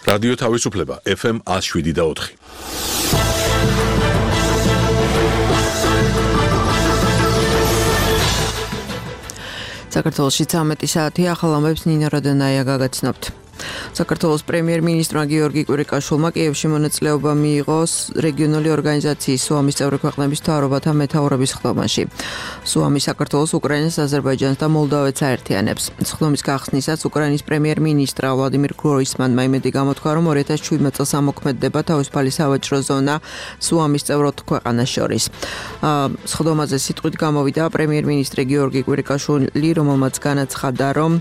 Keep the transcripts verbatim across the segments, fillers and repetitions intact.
რადიო თავისუფლება ეფ ემ one oh seven და four. საქართველოში ცამეტი საათი ახალ ამბებს ნინო როდონაია გაგაცნობთ. საქართველოს პრემიერ-მინისტრმა გიორგი კვირიკაშვილმა კიევში მონაწილეობა მიიღო რეგიონული ორგანიზაციის სუამის წევრი ქვეყნების მთავრობათა მეთაურების ხდომაში. სუამი საქართველოს, უკრაინას, აზერბაიჯანს და მოლდოვეთს აერთიანებს. ხდომის გახსნისას უკრაინის პრემიერ-მინისტრ ვლადიმირ გროისმანმა იმედი გამოთქვა, რომ two thousand seventeen წელს ამოქმედდება თავისუფალი სავაჭრო ზონა სუამის წევრ ქვეყანას შორის. ხდომაზე სიტყვით გამოვიდა პრემიერ-მინისტრი გიორგი კვირიკაშვილი, რომელმაც განაცხადა, რომ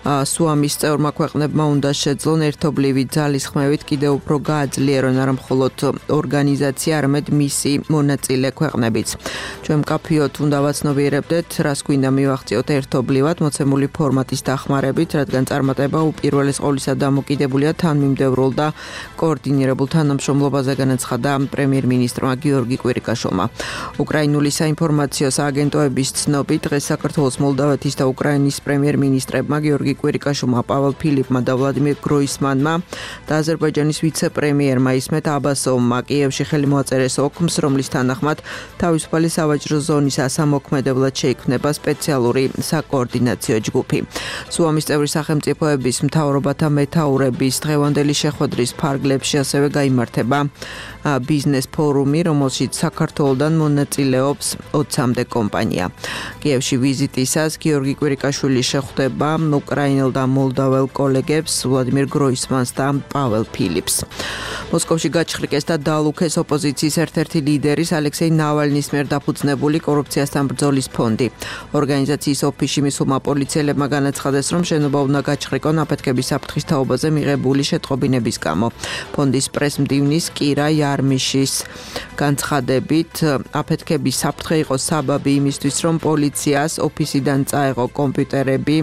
სუამის წევრმა ქვეყნებმა უნდა შეძლონ ერთობლივი ძალისხმევით კიდევ უფრო გააძლიერონ არა მხოლოდ ორგანიზაცია, არამედ მისი მონაწილე ქვეყნებიც. ჩვენ მკაფიოდ უნდა ვაცნობიერებდეთ, რას გვინდა მივახციოთ ერთობლივად მოცემული ფორმატის დახმარებით, რადგან წარმატება უპირველეს ყოვლისა დამოკიდებულია თანმიმდევრულ და კოორდინირებულ თანამშრომლობაზე, განაცხადა პრემიერ-მინისტრმა გიორგი კვირიკაშვილმა. უკრაინული საინფორმაციო სააგენტოების ცნობით, დღეს საქართველოს, მოლდოვეთის და უკრაინის პრემიერ-მინისტრებმა გიორგი კვირიკაშვილმა, პაվել ფილიპმა და ვლადიმირ გროისმანმა და აზერბაიჯანის ვიცე-პრემიერმა ისმეთ აბასოვმა კიევში ხელი მოაწერეს ოქმს, რომლის თანახმად თავისუფალი სავაჭრო ზონის ასამოქმედებლად შეიქმნება სპეციალური საკოორდინაციო ჯგუფი. სუამის წევრი სახელმწიფოების მთავრობათა მეთაურების დღევანდელი შეხვედრის ფარგლებში ასევე გაიმართება ბიზნეს ფორუმი, რომელშიც საქართველოდან მონაწილეობს ოცამდე კომპანია. კიევში ვიზიტისას გიორგი კვირიკაშვილი შეხვდება უკრაინელ და მოლდოվել კოლეგებს ვლადიმირ გროისმანს და პაվել ფილიპს. მოსკოვში გაჩხრიკეს და დაალუქეს ოპოზიციის ერთ-ერთი ლიდერის ალექსეი ნავალნის მიერ დაფუძნებული კორუფციასთან ბრძოლის ფონდი. ორგანიზაციის ოფისში მისულმა პოლიციელებმა განაცხადეს, რომ შენობა უნდა გაჩხრიკონ აფეთქების საფრთხის თაობაზე მიღებული შეტყობინების გამო. ფონდის პრესმდივნის კირა იარმიშის განცხადებით, აფეთქების საფრთხე იყო საბაბი იმისთვის, რომ პოლიციას ოფისიდან წაეღო კომპიუტერები,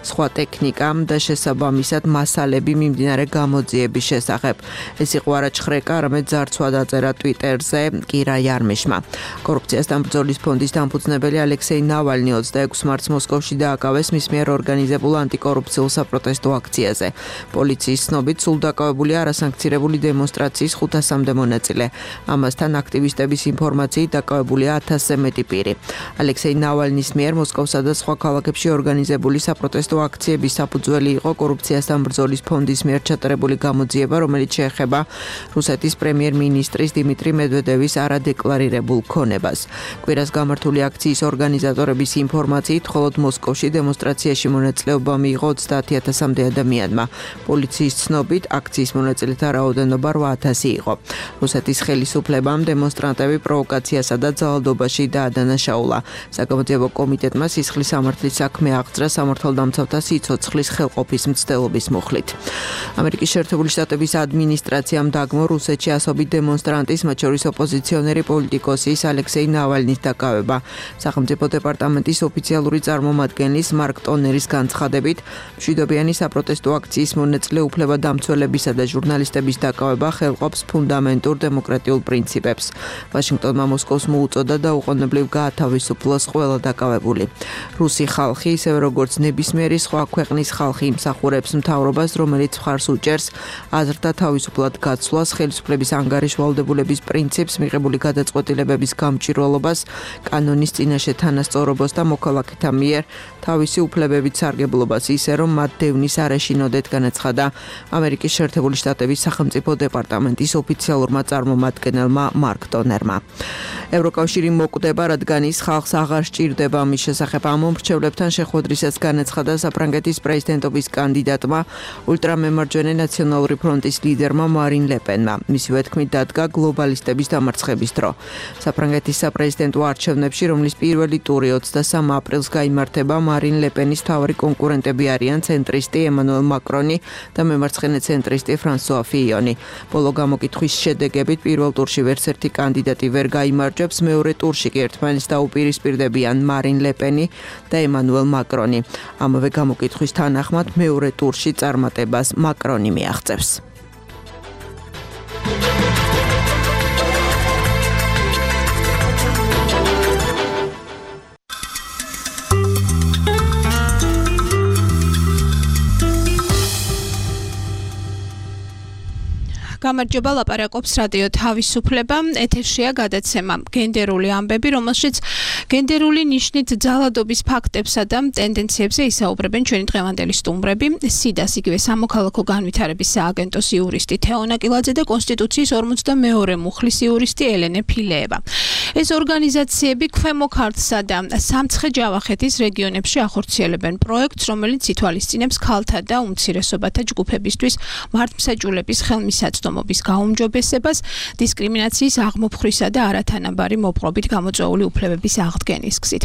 სხვა ტექნიკა და შესაბამისად მასალები მიმდინარე გამოძიების შესახებ. ეს იყო არა ჩხრეკა, არამედ ძარცვა დაწერა ტვიტერზე კირა იარმიშმა. კორუფციასთან ბრძოლის ფონდის დამფუძნებელი ალექსეი ნავალნი ოცდაექვსი მარტს მოსკოვში დააკავეს მის მიერ ორგანიზებულ ანტიკორუფციულ საპროტესტო აქციაზე. პოლიციის ცნობით, სულ დაკავებულია არასანქცირებული დემონსტრაციის ხუთასამდე მონაწილე. ამასთან აქტივისტების ინფორმაციით დაკავებულია ათასზე მეტი პირი. ალექსეი ნავალნის მიერ მოსკოვსა და სხვა ქალაქებში ორგანიზებული საპროტესტო აქციების საფუძველი იყო კორუფციასთან ბრძოლის ფონდის მიერ ჩატარებული გამოძიება, რომელიც შეეხება რუსეთის პრემიერ-მინისტრის დიმიტრი მედვედევის არადეკლარირებულ ქონებას. კვირას გამართული აქციის ორგანიზატორების ინფორმაციით, მხოლოდ მოსკოვში დემონსტრაციაში მონაწილეობა მიიღო ოცდაათი ათასამდე ადამიანმა. პოლიციის ცნობით, აქციის მონაწილეთა რაოდენობა რვა ათასი იყო. რუსეთის ხელისუფლებამ დემონსტრანტები პროვოკაციასა და ძალადობაში დაადანაშაულა. საგამოძიებო კომიტეტმა სისხლის სამართლის საქმე აღძრა სამართალდამცავთა სიცოცხლის ხელყოფის მცდელობის მუხლით. ამერიკის შეერთებული შტატების ადმინისტრაციამ დაგმო რუსეთში ასობით დემონსტრანტის, მათ შორის ოპოზიციონერი პოლიტიკოსის ალექსეი ნავალნის დაკავება. სახელმწიფო დეპარტამენტის ოფიციალური წარმომადგენლის მარკ ტონერის განცხადებით, მშვიდობიანი საპროტესტო აქციის მონაწილე უფლებადამცველებისა და ჟურნალისტების დაკავება ხელყოფს ფუნდამენტურ დემოკრატიულ პრინციპებს. ვაშინგტონმა მოსკოვს მოუწოდა დაუყოვნებლივ გაათავისუფლოს ყველა დაკავებული. რუსი ხალხი, ისევე როგორც ნებისმიერი სხვა ქვეყნის ხალხი, იმსახურებს მთავრობას, რომელიც მხარს უჭერს აზრთა თავისუფლად გაცვლას, ხელისუფლების ანგარიშვალდებულების პრინციპს, მიღებული გადაწყვეტილებების გამჭვირვალობას, კანონის წინაშე თანასწორობას და მოქალაქეთა მიერ თავისი უფლებებით სარგებლობას, ისე რომ მათ დევნის არ ეშინოდეთ, განაცხადა ამერიკის შეერთებული შტატების სახელმწიფო დეპარტამენტის ოფიციალურმა წარმომადგენელმა მარკ ტონერმა. ევროკავშირი მოკვდება, რადგან ის ხალხს აღარ სჭირდება მის შესახებ ამომრჩევლებთან შეხვედრისას განაცხადა საფრანგეთის პრეზიდენტობის კანდიდატმა ულტრამემარჯვენე ნაციონალური ფრონტის ლიდერმა მარინ ლეპენმა. მისივე თქმით დადგა გლობალისტების დამარცხების დრო. საფრანგეთის საპრეზიდენტო არჩევნებში, რომლის პირველი ტური ოცდასამ აპრილს გაიმართება, მარინ ლეპენის მთავარი კონკურენტები არიან ცენტრისტი ემანუელ მაკრონი და მემარცხენე ცენტრისტი ფრანსუა ფიიონი. ბოლო გამოკითხვის შედეგებით პირველ ტურში ვერც ერთი კანდიდატი ვერ გაიმარჯვებს, მეორე ტურში კი ერთმანეთს დაუპირისპირდებიან მარინ ლეპენი და ემანუელ მაკრონი. ამავე გამოკითხვის თანახმად მეორე ტურში წარმატებას მაკრონი მიაღწევს. გამარჯობა, ლაპარაკობს რადიო თავისუფლება. ეთერშია გადაცემა გენდერული ამბები, რომელშიც გენდერული ნიშნით ძალადობის ფაქტებსა და ტენდენციებზე ისაუბრებენ ჩვენი დღევანდელი სტუმრები. სიდას იგივე სამოქალაქო განვითარების სააგენტოს იურისტი თეონა კილაძე და კონსტიტუციის ორმოცდამეორე მუხლის იურისტი ელენე ფილეევა. ეს ორგანიზაციები ქვემო ქართლსა და სამცხე-ჯავახეთის რეგიონებში ახორციელებენ პროექტს, რომელიც ითვალისწინებს ქალთა და უმცირესობათა ჯგუფებისთვის მართლმსაჯულების ხელმისაწვდომობის გაუმჯობესებას, დისკრიმინაციის აღმოფხვრისა და არათანაბარი მოპყრობით გამოწვეული უფლებების აღდგენის გზით.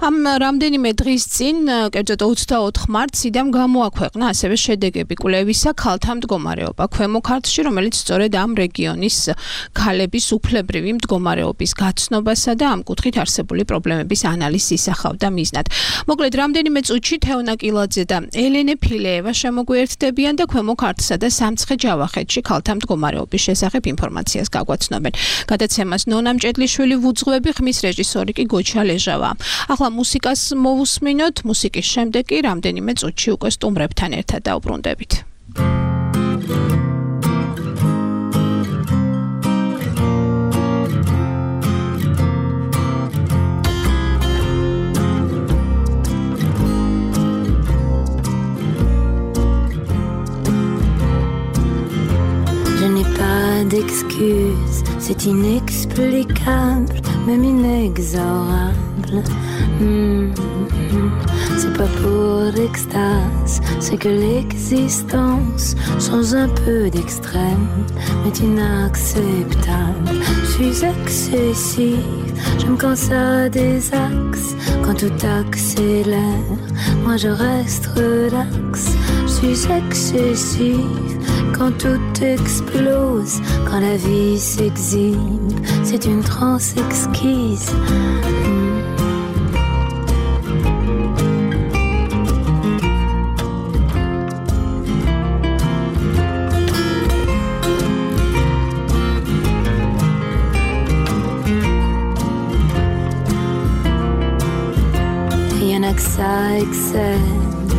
ამ რამდენიმე დღის წინ, კერძოდ ოცდაოთხ მარტს, სიდამ გამოაქვეყნა ასევე შედეგები კვლევისა ქალთა მდგომარეობა ქვემო ქართლში, რომელიც სწორედ ამ რეგიონის ქალების უფლებრივი მდგომარეობის გაცნობასა და ამ კუთხით არსებული პრობლემების ანალიზს ისახავდა მიზნად. მოკლედ, რამდენიმე წუთში თეონა კილაძე და ელენე ფილეევა შემოგვიერთდებიან და ქვემო ქართლსა და სამცხე-ჯავახეთში ქალთა მდგომარეობის შესახებ ინფორმაციას გაგვაცნობენ. გადაცემას ნონა მჭედლიშვილი ვუძღვები, ხმის რეჟისორი კი გოჩა ლეჟავა. ახლა მუსიკას მოვუსმინოთ, მუსიკის შემდეგ კი რამდენიმე წუთში უკვე სტუმრებთან ერთად დაუბრუნდებით. D'excuses, c'est inexplicable, même inexorable. Mmh, mmh. C'est pas pour l'extase, c'est que l'existence change un peu d'extrême, mais inacceptable. Je suis excessive, j'aime quand ça désaxe, quand tout accélère, moi je reste relax. Je suis excessive, quand tout explose, quand la vie s'exhibe, c'est une transe exquise. Mmh. Y'en a que ça excelle,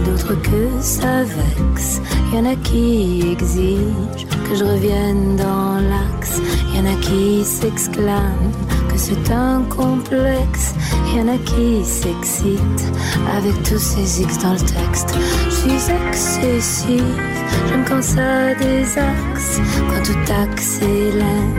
d'autres que ça vexe. Y'en a qui exigent que je revienne dans l'axe. Y'en a qui s'exclament que c'est un complexe. Y'en a qui s'excitent avec tous ces X dans le texte. Je suis excessive, j'aime quand ça désaxe, quand tout accélère,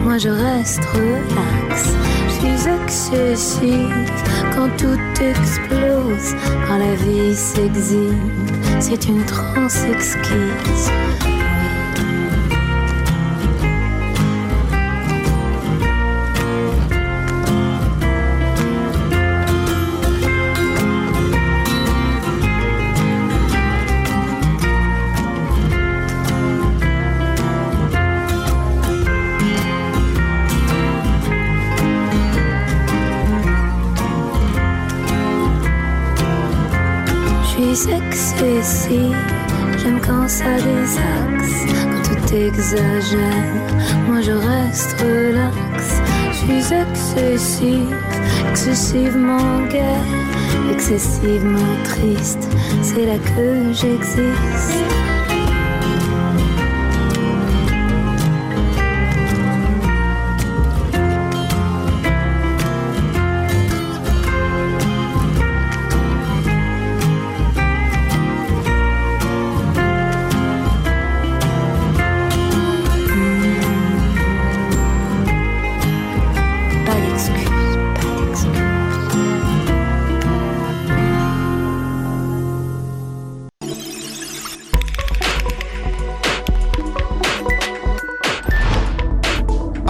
moi je reste relax. Je suis excessive, quand tout explose, quand la vie s'exhibe, c'est une transe exquise. Excessive, j'aime quand ça désaxe, quand tout exagère, moi je reste relax. Je suis excessive, excessivement gaie, excessivement triste, c'est là que j'existe.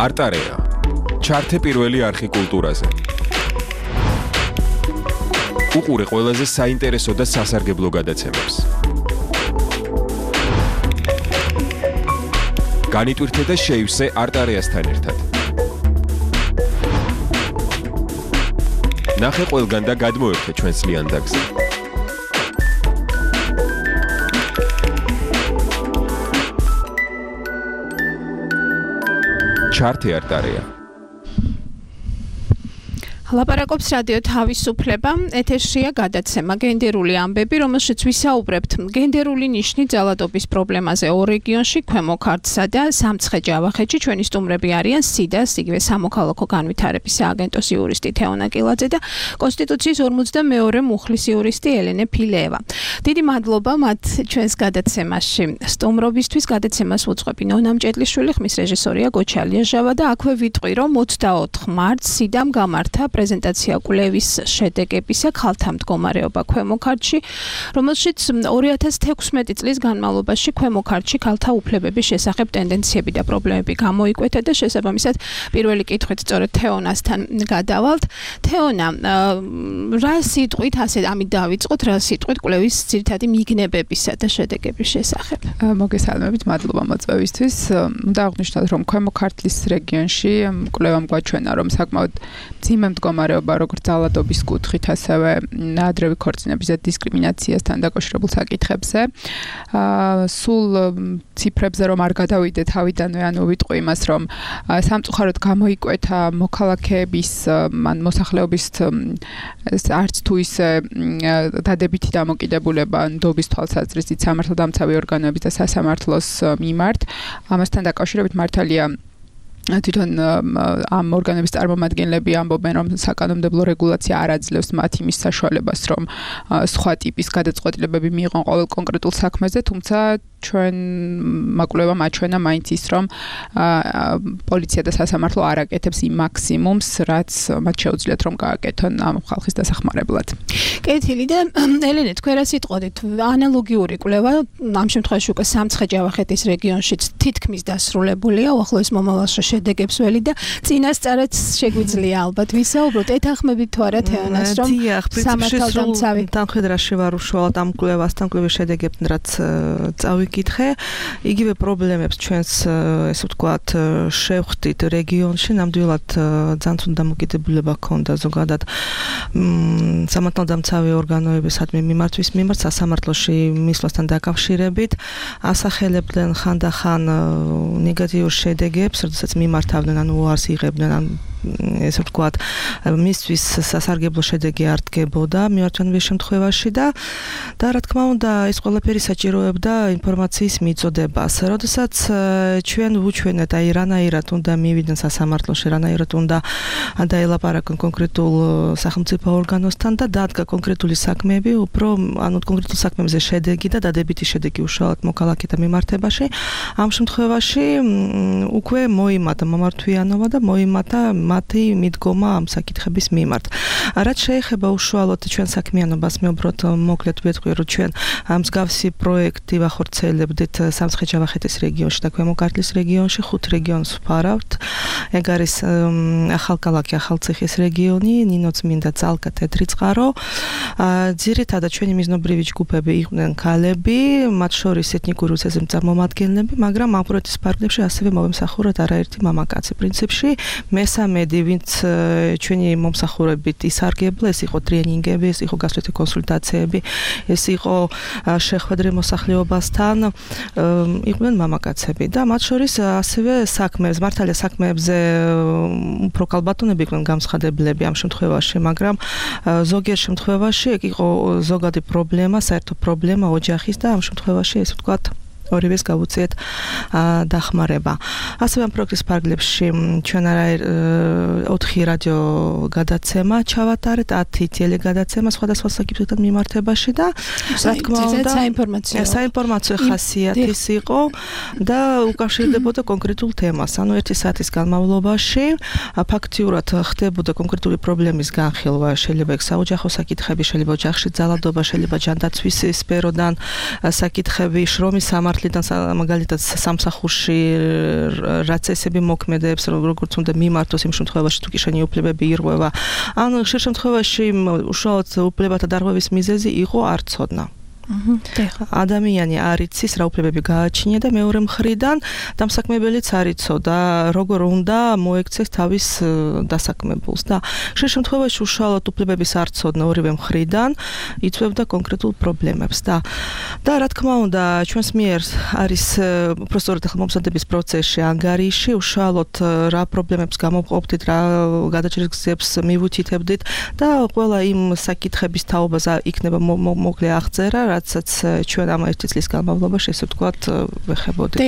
არტარეა. ჩართე პირველი არხი კულტურაზე. უყურე ყველაზე საინტერესო და სასარგებლო გადაცემებს. განიტვირთე და შეივსე არტარეასთან ერთად. ნახე ყველგან და გადმოერთე ჩვენს ლიანდაგზე. ჩართე არტარეა. ლაპარაკობს რადიო თავისუფლება, ეთერშია გადაცემა გენდერული ამბები, რომელშიც ვისაუბრებთ გენდერული ნიშნით ძალადობის პრობლემაზე ორ რეგიონში, ქვემო ქართლსა და სამცხე-ჯავახეთში. ჩვენი სტუმრები არიან სიდას, იგივე სამოქალაქო განვითარების სააგენტოს იურისტი თეონა კილაძე და კონსტიტუციის ორმოცდამეორე მუხლის იურისტი ელენე ფილეევა. დიდი მადლობა მათ ჩვენს გადაცემაში. სტუმრობისთვის გადაცემას უძღვები ნონა მჭედლიშვილი, ხმის რეჟისორია გოჩალია ჟავა და აქვე ვიტყვი, რომ ოცდაოთხ მარტს სიდამ გამართა პრეზენტაცია კვლევის შედეგებისა ქალთა მდგომარეობა ქვემო ქართლში, რომელშიც ორი ათას თექვსმეტი წლის განმავლობაში ქვემო ქართლში ქალთა უფლებების შესახებ ტენდენციები და პრობლემები გამოიკვეთა და შესაბამისად პირველი კითხვით სწორედ თეონასთან გადავალთ. თეონა, რა სიტყვით ასე ამით დავიწყოთ, რა სიტყვით კვლევის ძირითადი მიგნებებისა და შედეგების შესახებ? მოგესალმებით, მადლობა მოწვევისთვის. უნდა აღვნიშნოთ, რომ ქვემო ქართლის რეგიონში კვლევამ გვაჩვენა, რომ საკმაოდ მძიმე მდგომარეობა როგორც ძალადობის კუთხით, ასევე ადრევი ქორწინების და დისკრიმინაციასთან დაკავშირებულ საკითხებზე. სულ ციფრებზე რომ არ გადავიდე თავიდანვე, ანუ ვიტყვი იმას, რომ სამწუხაროდ გამოიკვეთა მოქალაქეების ან მოსახლეობის არც თუ ისე დადებითი დამოკიდებულება ნდობის თვალსაზრისით სამართალდამცავი ორგანოების და სასამართლოს მიმართ. ამასთან დაკავშირებით მართალია თვითონ ამ ორგანოების წარმომადგენლები ამბობენ, რომ საკანონმდებლო რეგულაცია არ აძლევს მათ იმის საშუალებას, რომ სხვა ტიპის გადაწყვეტილებები მიიღონ ყოველ კონკრეტულ საქმეზე, თუმცა ჩვენ მაკვლევამ აჩვენა მაინც ის, რომ პოლიცია და სასამართლო არ აკეთებს იმ მაქსიმუმს, რაც მათ შეუძლიათ რომ გააკეთონ ამ ხალხის დასახმარებლად. კეთილი და ელენე, თქვენ რა სიტყვით, ანალოგიური კვლევა ამ შემთხვევაში უკვე სამცხე-ჯავახეთის რეგიონშიც თითქმის დასრულებულია, უახლოეს მომავალში შედეგებს ველი და წინასწარაც შეგვიძლია ალბათ ვისაუბროთ. ეთანხმებით თუ არა თეონას, რომ სამართალდამცავი თანხმედრაში ვარ უშუალოდ ამ კვლევასთან, კვლევის შედეგებთან, რაც წავიკითხე. იგივე პრობლემებს ჩვენს, ესე ვთქვათ, შევხვდით რეგიონში, ნამდვილად ძალზედ დამოკიდებულება ჰქონდა ზოგადად სამართალდამცავი ორგანოებისადმი მიმართვის მიმართ სასამართლოში მისვლასთან დაკავშირებით, ასახელებდნენ ხანდახან ნეგატიურ შედეგებს, როდესაც მიმართავდნენ, ანუ უარს იღებდნენ, ან ესე ვთქვათ, მისთვის სასარგებლო შედეგი არ დგებოდა მიმართვენების შემთხვევაში და და რა თქმა უნდა, ეს ყველაფერი საჭიროებდა ინფორმაციის მიწოდებას. როდესაც ჩვენ ვუჩვენეთ, აი რანაირად უნდა მივიდნენ სასამართლოში, რანაირად უნდა დაელაპარაკონ კონკრეტულ სახელმწიფო ორგანოსთან და დადგა კონკრეტული საქმეები, უფრო ანუ კონკრეტულ საქმეებზე შედეგი და დადებითი შედეგი უშუალოდ მოქალაქეთა მიმართებაში. ამ შემთხვევაში უკვე მოიმატა მომართვიანობა და მოიმატა მათი მიდგომა ამ საკითხების მიმართ. რაც შეეხება უშუალოდ ჩვენ საქმიანობას, მე უბრალოდ მოკლედ ვეთქვი, რომ ჩვენ მსგავსი პროექტი ვახორციელებდით სამცხე-ჯავახეთის რეგიონში და ქვემო ქართლის რეგიონში, ხუთ რეგიონს ვფარავთ. ეგ არის ახალქალაქი, ახალციხის რეგიონი, ნინოწმინდა, ძალკა, თეთრი წყარო. ძირითადად ჩვენი მიზნობრივი ჯგუფები იყვნენ ქალები, მათ შორის ეთნიკური უცესების წარმომადგენლები, მაგრამ ამ პროექტის ფარგლებში ასევე მომსახურეთ არაერთი მამაკაცი. პრინციპში მესამედი, ვინც ჩვენი მომსახურებით ისარგებლა, ეს იყო ტრენინგები, ეს იყო გასვლითი კონსულტაციები, ეს იყო შეხვედრა მოსახლეობასთან, იყვნენ მამაკაცები და მათ შორის ასევე საქმეებს, მართალია საქმეებზე უფრო ქალბატონები იყვნენ გამცხადებლები ამ შემთხვევაში, მაგრამ ზოგიერთ შემთხვევაში ეგ იყო ზოგადი პრობლემა, საერთო პრობლემა ოჯახის და ამ შემთხვევაში ეს ვთქვათ ორივეს გავუწიეთ დახმარება. ასევე ამ პროექტის ფარგლებში ჩვენ არა ოთხი რადიო გადაცემა ჩავატარეთ, ათი ტელეგადაცემა სხვადასხვა საკითხებთან მიმართებაში და რა თქმა უნდა საინფორმაციო საინფორმაციო ხასიათის იყო და უკავშირდებოდა კონკრეტულ თემას. ანუ ერთი საათის განმავლობაში ფაქტიურად ხდებოდა კონკრეტული პრობლემის განხილვა, შეიძლება ეგ საოჯახო საკითხები, შეიძლება ოჯახში ძალადობა, შეიძლება ჯანდაცვის სფეროდან საკითხები, შრომის სამართლიდან მაგალითად სამსახურში რაც წესები მოქმედებს, როგორც უნდა მიმართოს იმ შემთხვევაში თუ კი შენი უფლებები ირღვევა. ან ხშირ შემთხვევაში უშუალოდ უფლებათა დარღვევის მიზეზი იყო არ ცოდნა. ადამიანი არ იცის რა უფლებები გააჩნია და მეორე მხრიდან დამსაქმებელიც არ იცოდა როგორ უნდა მოექცეს თავის დასაქმებულს და ხშირ შემთხვევაში უშუალოდ უფლებების არ ცოდნა ორივე მხრიდან იწვევდა კონკრეტულ პრობლემებს და და რა თქმა უნდა ჩვენს მიერ არის უბრალოდ ხელმომზადების პროცესში ანგარიში უშუალოდ რა პრობლემებს გამოვყოფდით რა გადაჭრის გზებს მივუთითებდით და ყველა იმ საკითხების თაობაზე იქნება მოკლე აღწერა რაცაც ჩვენ ამ ერთი წლის განმავლობაში ესე ვთქვათ ვეხებოდით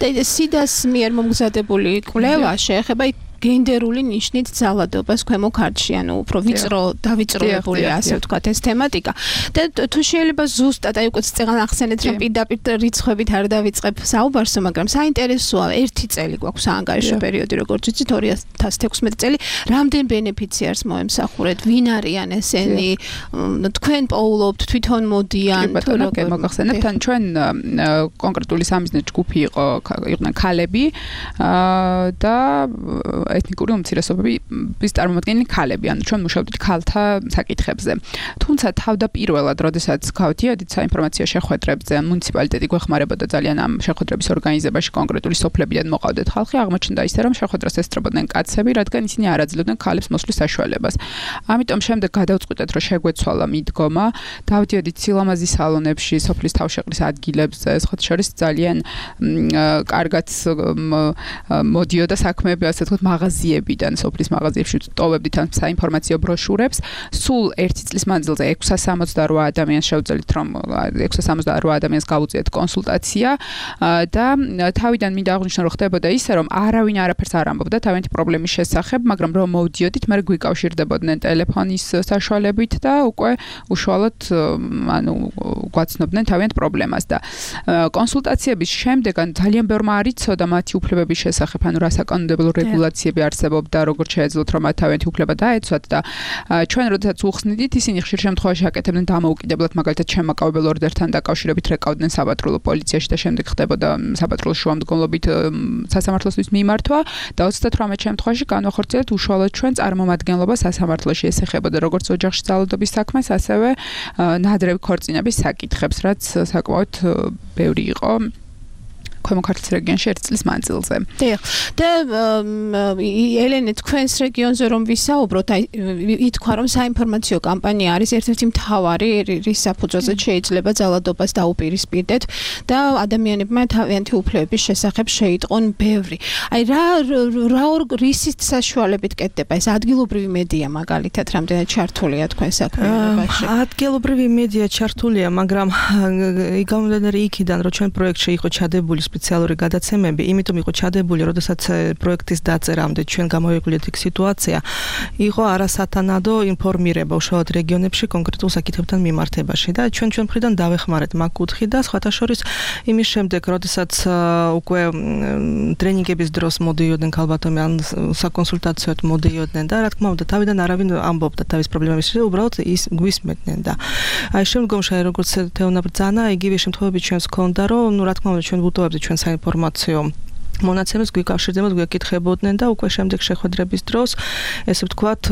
და სიდას მიერ მომგზადებული კვლევა შეეხება გენდერული ნიშნით ძალადობას ქვემო ქართლში, ანუ უფრო ვიწრო დავიწროებული ასე ვთქვათ ეს თემატიკა. და თუ შეიძლება ზუსტად აი უკვე წეგან ახსენეთ რომ პირდაპირ რიცხვებით არ დავიწყებ საუბარსო, მაგრამ საინტერესოა ერთი წელი გვაქვს ანგარიშო პერიოდი როგორც ვიცით ორი ათას თექვსმეტი წელი, რამდენ ბენეფიციარს მოემსახურეთ, ვინ არიან ესენი, თქვენ პოულობთ, თვითონ მოდიან, თუ როგორ მოგახსენებთ, ან ჩვენ კონკრეტული სამიზნე ჯგუფი იყო, იყვნენ ქალები და ეთნიკური უმცირესობების წარმომადგენელი ქალები, ანუ ჩვენ მუშაობდით ქალთა საკითხებზე. თუმცა თავდაპირველად, როდესაც გავდიოდით საინფორმაციო შეხვედრებზე, მუნიციპალიტეტი გვეხმარებოდა ძალიან ამ შეხვედრების ორგანიზებაში, კონკრეტული სოფლებიდან მოყავდეთ ხალხი, აღმოჩნდა ისე, რომ შეხვედრას ესწრებოდნენ კაცები, რადგან ისინი არ აძლევდნენ ქალებს მოსვლის საშუალებას. ამიტომ შემდეგ გადავწყვიტეთ, რომ შეგვეცვალა მიდგომა, დავდიოდით სილამაზის სალონებში, სოფლის თავშეყრის ადგილებზე, სხვათა შორის ძალიან კარგად მოდიოდა საქმეები, ასე ვთქვათ, მაღაზიებიდან, სოფლის მაღაზიებში ტოვებდით ამ საინფორმაციო ბროშურებს. სულ ერთი წლის მანძილზე ექვსას სამოცდარვა ადამიანს შევძელით, რომ ექვსას სამოცდარვა ადამიანს გავუწიეთ კონსულტაცია და თავიდან მინდა აღვნიშნო, რომ ხდებოდა ისე, რომ არავინ არაფერს არ ამბობდა თავიანთი პრობლემის შესახებ, მაგრამ რომ მოვდიოდით, მე გვიკავშირდებოდნენ ტელეფონის საშუალებით და უკვე უშუალოდ ანუ გვაცნობდნენ თავიანთ პრობლემას და კონსულტაციების შემდეგან ძალიან ბევრმა არ იცოდა მათი უფლებების შესახებ, ანუ რა საკანონმდებლო რეგულაციები არსებობდა, როგორც შეეძლოთ რომ მათ თავიანთი უფლება დაეცვათ და ჩვენ როდესაც უხსნიდით, ისინი ხშირ შემთხვევაში აკეთებდნენ დამოუკიდებლად, მაგალითად შემაკავებელ ორდერთან დაკავშირებით რეკავდნენ საპატრულო პოლიციაში და შემდეგ ხდებოდა საპატრულო შუამდგომლობით სასამართლოსთვის მიმართვა და ოცდათვრამეტ შემთხვევაში განვახორციელეთ უშუალოდ ჩვენ წარმომადგენლობა სასამართლოში, ეს ეხებოდა როგორც ოჯახში ძალადობის საქმეს, ასევე ნადრევი ქორწინების საკითხებს, რაც საკმაოდ ბევრი იყო ქვემო ქართლის რეგიონში ერთ წლის მანძილზე. დიახ. და ელენე თქვენს რეგიონზე რომ ვისაუბროთ, აი ითქვა რომ საინფორმაციო კამპანია არის ერთ-ერთი მთავარი რის საფუძველზე შეიძლება ძალადობას დაუპირისპირდეთ და ადამიანებმა თავიანთი უფლებების შესახებ შეიტყონ ბევრი. აი რა რა რისის საშუალებით კეთდება ეს ადგილობრივი მედია მაგალითად რამდენად ჩართულია თქვენ საქმიანობაში? ადგილობრივი მედია ჩართულია, მაგრამ გამომდინარე იქიდან რომ ჩვენ პროექტში იყო ჩადებული სპეციალური გადაცემები, იმიტომ იყო ჩადებული, როდესაც პროექტის დაწერამდე ჩვენ გამოვიკვლიეთ იქ სიტუაცია, იყო არასათანადო ინფორმირება უშუალოდ რეგიონებში კონკრეტულ საკითხებთან მიმართებაში და ჩვენ ჩვენ მხრიდან დავეხმარეთ მაგ კუთხით და სხვათა შორის იმის შემდეგ, როდესაც უკვე ტრენინგების დროს მოდიოდნენ ქალბატონები ან საკონსულტაციოდ მოდიოდნენ და რა თქმა უნდა თავიდან არავინ ამბობდა თავის პრობლემების შესახებ, უბრალოდ ის გვისმენდნენ და აი შემდგომში როგორც თეონა ბრძანა, იგივე შემთხვევები ჩვენს ჰქონდა, რომ ნუ რა თქმა უნდა ჩვენ ვუტოვებდით ჩვენ საინფორმაციო მონაცემებს გვიკავშირდებოდ, გვეკითხებოდნენ და უკვე შემდეგ შეხვედრების დროს ესე ვთქვათ,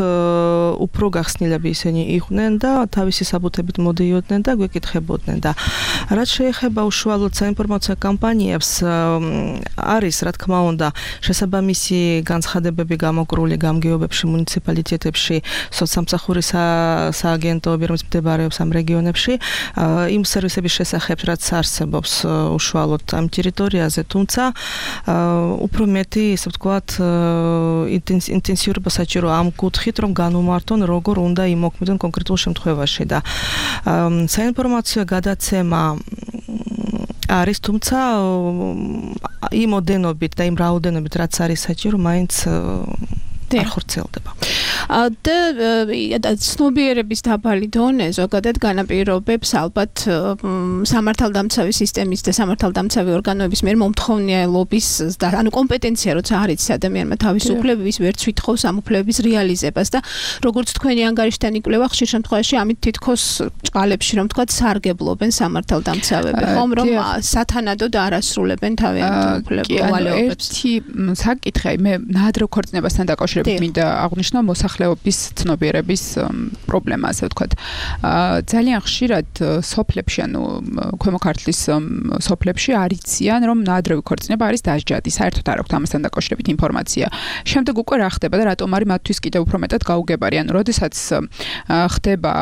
უფრო გახსნილები ისინი იყვნენ და თავისი საბუთებით მოდიოდნენ და გვეკითხებოდნენ და რაც შეეხება უშუალოდ საინფორმაციო კამპანიებს, არის რა თქმა უნდა შესაბამისი განცხადებები გამოკრული გამგეობებში, მუნიციპალიტეტებში, სოცსამსახურის სააგენტოები, რომელიც მდებარეობს ამ რეგიონებში, იმ სერვისების შესახებ, რაც არსებობს უშუალოდ ამ ტერიტორიაზე, თუმცა უფრო მეტი, ესე ვთქვათ, ინტენსიურობა საჭირო ამ კუთხით, რომ განუმართონ, როგორ უნდა იმოქმედონ კონკრეტულ შემთხვევაში და საინფორმაციო გადაცემა არის, თუმცა იმ ოდენობით და იმ რაოდენობით, რაც არის საჭირო, მაინც არ ხორციელდება. და ცნობიერების დაბალი დონე ზოგადად განაპირობებს ალბათ სამართალდამცავი სისტემის და სამართალდამცავი ორგანოების მიერ მომთხოვნიალობის და ანუ კომპეტენცია როცა არ იცის ადამიანმა თავის უფლებების ვერც ვითხოვს ამ უფლებების რეალიზებას და როგორც თქვენი ანგარიშთან იკვლევა ხშირ შემთხვევაში ამით თითქოს ჭყალებში რომ თქვა სარგებლობენ სამართალდამცავები, ხომ რომ სათანადოდ არ ასრულებენ თავიანთ უფლებებს. ერთი საკითხი მე ნადრევ ქორწინებასთან დაკავშირებით მინდა აღვნიშნო მოსახლეობის მოსახლეობის ცნობიერების პრობლემა, ასე ვთქვათ. ძალიან ხშირად სოფლებში, ანუ ქვემო ქართლის სოფლებში არიციან, რომ ნაადრევი ქორწინება არის დასჯადი. საერთოდ არ აქვთ ამასთან დაკავშირებით ინფორმაცია. შემდეგ უკვე რა ხდება და რატომ არის მათთვის კიდევ უფრო მეტად გაუგებარი? ანუ როდესაც ხდება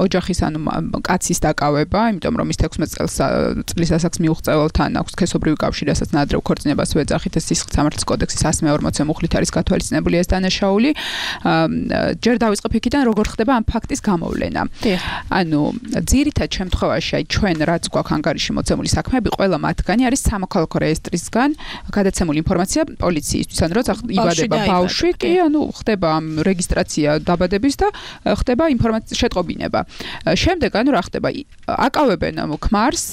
ოჯახის ანუ კაცის დაკავება, იმიტომ რომ ის თექვსმეტ წლის ასაკს მიუღწეველთან აქვს სქესობრივი კავშირი, რასაც ნაადრევ ქორწინებას ვეძახით, ეს სისხლის სამართლის კოდექსის one forty მუხლით არის გათვალისწინებული ეს დანაშაული. ჯერ დავიწყებ იქიდან, როგორ ხდება ამ ფაქტის გამოვლენა. ანუ ძირითად შემთხვევაში, აი ჩვენ რაც გვაქვს ანგარიში მოცემული საქმეები, ყველა მათგანი არის სამოქალაქო რეესტრისგან გადაცემული ინფორმაცია პოლიციისთვის, ანუ როცა იბადება ბავშვი, კი, ანუ ხდება ამ რეგისტრაცია დაბადების და ხდება ინფორმაციის შეტყობინება. შემდეგ ანუ რა ხდება? აკავებენ ქმარს,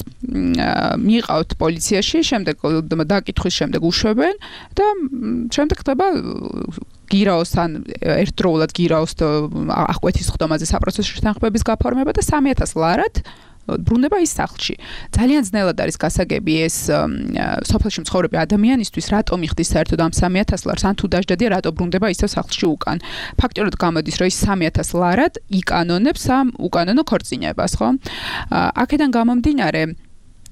მიიყავთ პოლიციაში, შემდეგ დაკითხვის შემდეგ უშვებენ და შემდეგ ხდება გირაოსთან ერთდროულად გირაოს აღკვეთის ხდომაზე საპროცესო შეთანხმების გაფორმება და სამი ათას ლარად ბრუნდება ის სახლში. ძალიან ძნელად არის გასაგები ეს სოფელში მცხოვრები ადამიანისთვის, რატომ იხდის საერთოდ ამ სამი ათას ლარს, ან თუ დასჯადია, რატო ბრუნდება ისევ სახლში უკან. ფაქტიურად გამოდის, რომ ის სამი ათას ლარად იკანონებს ამ უკანონო ქორწინებას, ხო? აქედან გამომდინარე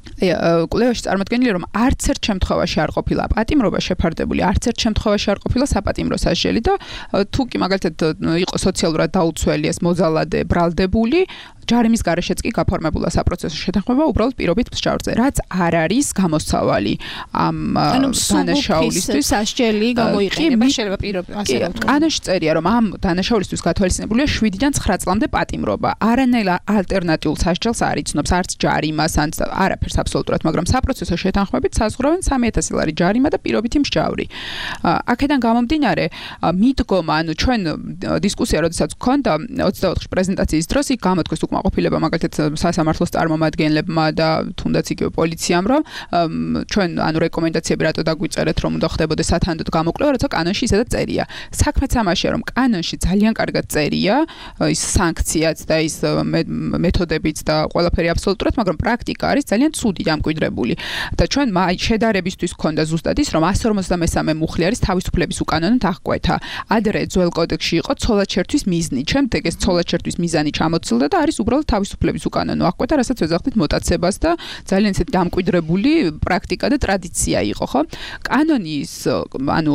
კვლევაში წარმოდგენილი რომ არც ერთ შემთხვევაში არ ყოფილა პატიმრობა შეფარდებული, არც ერთ შემთხვევაში არ ყოფილა საპატიმრო სასჯელი და თუ კი მაგალითად იყო სოციალურად დაუცველი ეს მოძალადე ბრალდებული, ჯარიმის გარეშეც კი გაფორმებულა საპროცესო შეთანხმება უბრალოდ პირობით მსჯავრზე, რაც არ არის გამოსავალი ამ დანაშაულისთვის სასჯელი გამოიყენება შეიძლება პირობით ასე რა ვთქვა. კანონში წერია რომ ამ დანაშაულისთვის გათვალისწინებულია შვიდიდან ცხრა წლამდე პატიმრობა. არანაირ ალტერნატიულ სასჯელს არ იცნობს არც ჯარიმას, ან არაფერს აბსოლუტურად, მაგრამ საპროცესო შეთანხმებით საზღურავენ სამი ათასი ლარი ჯარიმა და პირობითი მსჯავრი. აქედან გამომდინარე, მიდგომა, ანუ ჩვენ დისკუსია როდესაც გქონდა ოცდაოთხი პრეზენტაციის დროს იქ გამოთქვეს ყოფილება მაგალითად სასამართლოს წარმომადგენლებმა და თუნდაც იგივე პოლიციამ, რომ ჩვენ ანუ რეკომენდაციები რატო დაგვიწერეთ, რომ უნდა ხდებოდეს სათანდოდ გამოკვლევა, როცა კანონში ისედაც წერია. საქმეც ამაშია, რომ კანონში ძალიან კარგად წერია ის სანქციაც და ის მეთოდებიც და ყველაფერი აბსოლუტურად, მაგრამ პრაქტიკა არის ძალიან ცუდი დამკვიდრებული. და ჩვენ შედარებისთვის გქონდა ზუსტად ის, რომ one forty-three მუხლი არის თავისუფლების უკანონოდ აღკვეთა. ადრე ძველ კოდექსში იყო ცოლად-შერთვის მიზნი. შემდეგ ეს ცოლად-შერთვის მიზანი ჩამოცილდა და არის უბრალოდ თავისუფლების უკანონო აღკვეთა, რასაც ვეძახდით მოტაცებას და ძალიან ისეთი დამკვიდრებული პრაქტიკა და ტრადიცია იყო, ხო? კანონის, ანუ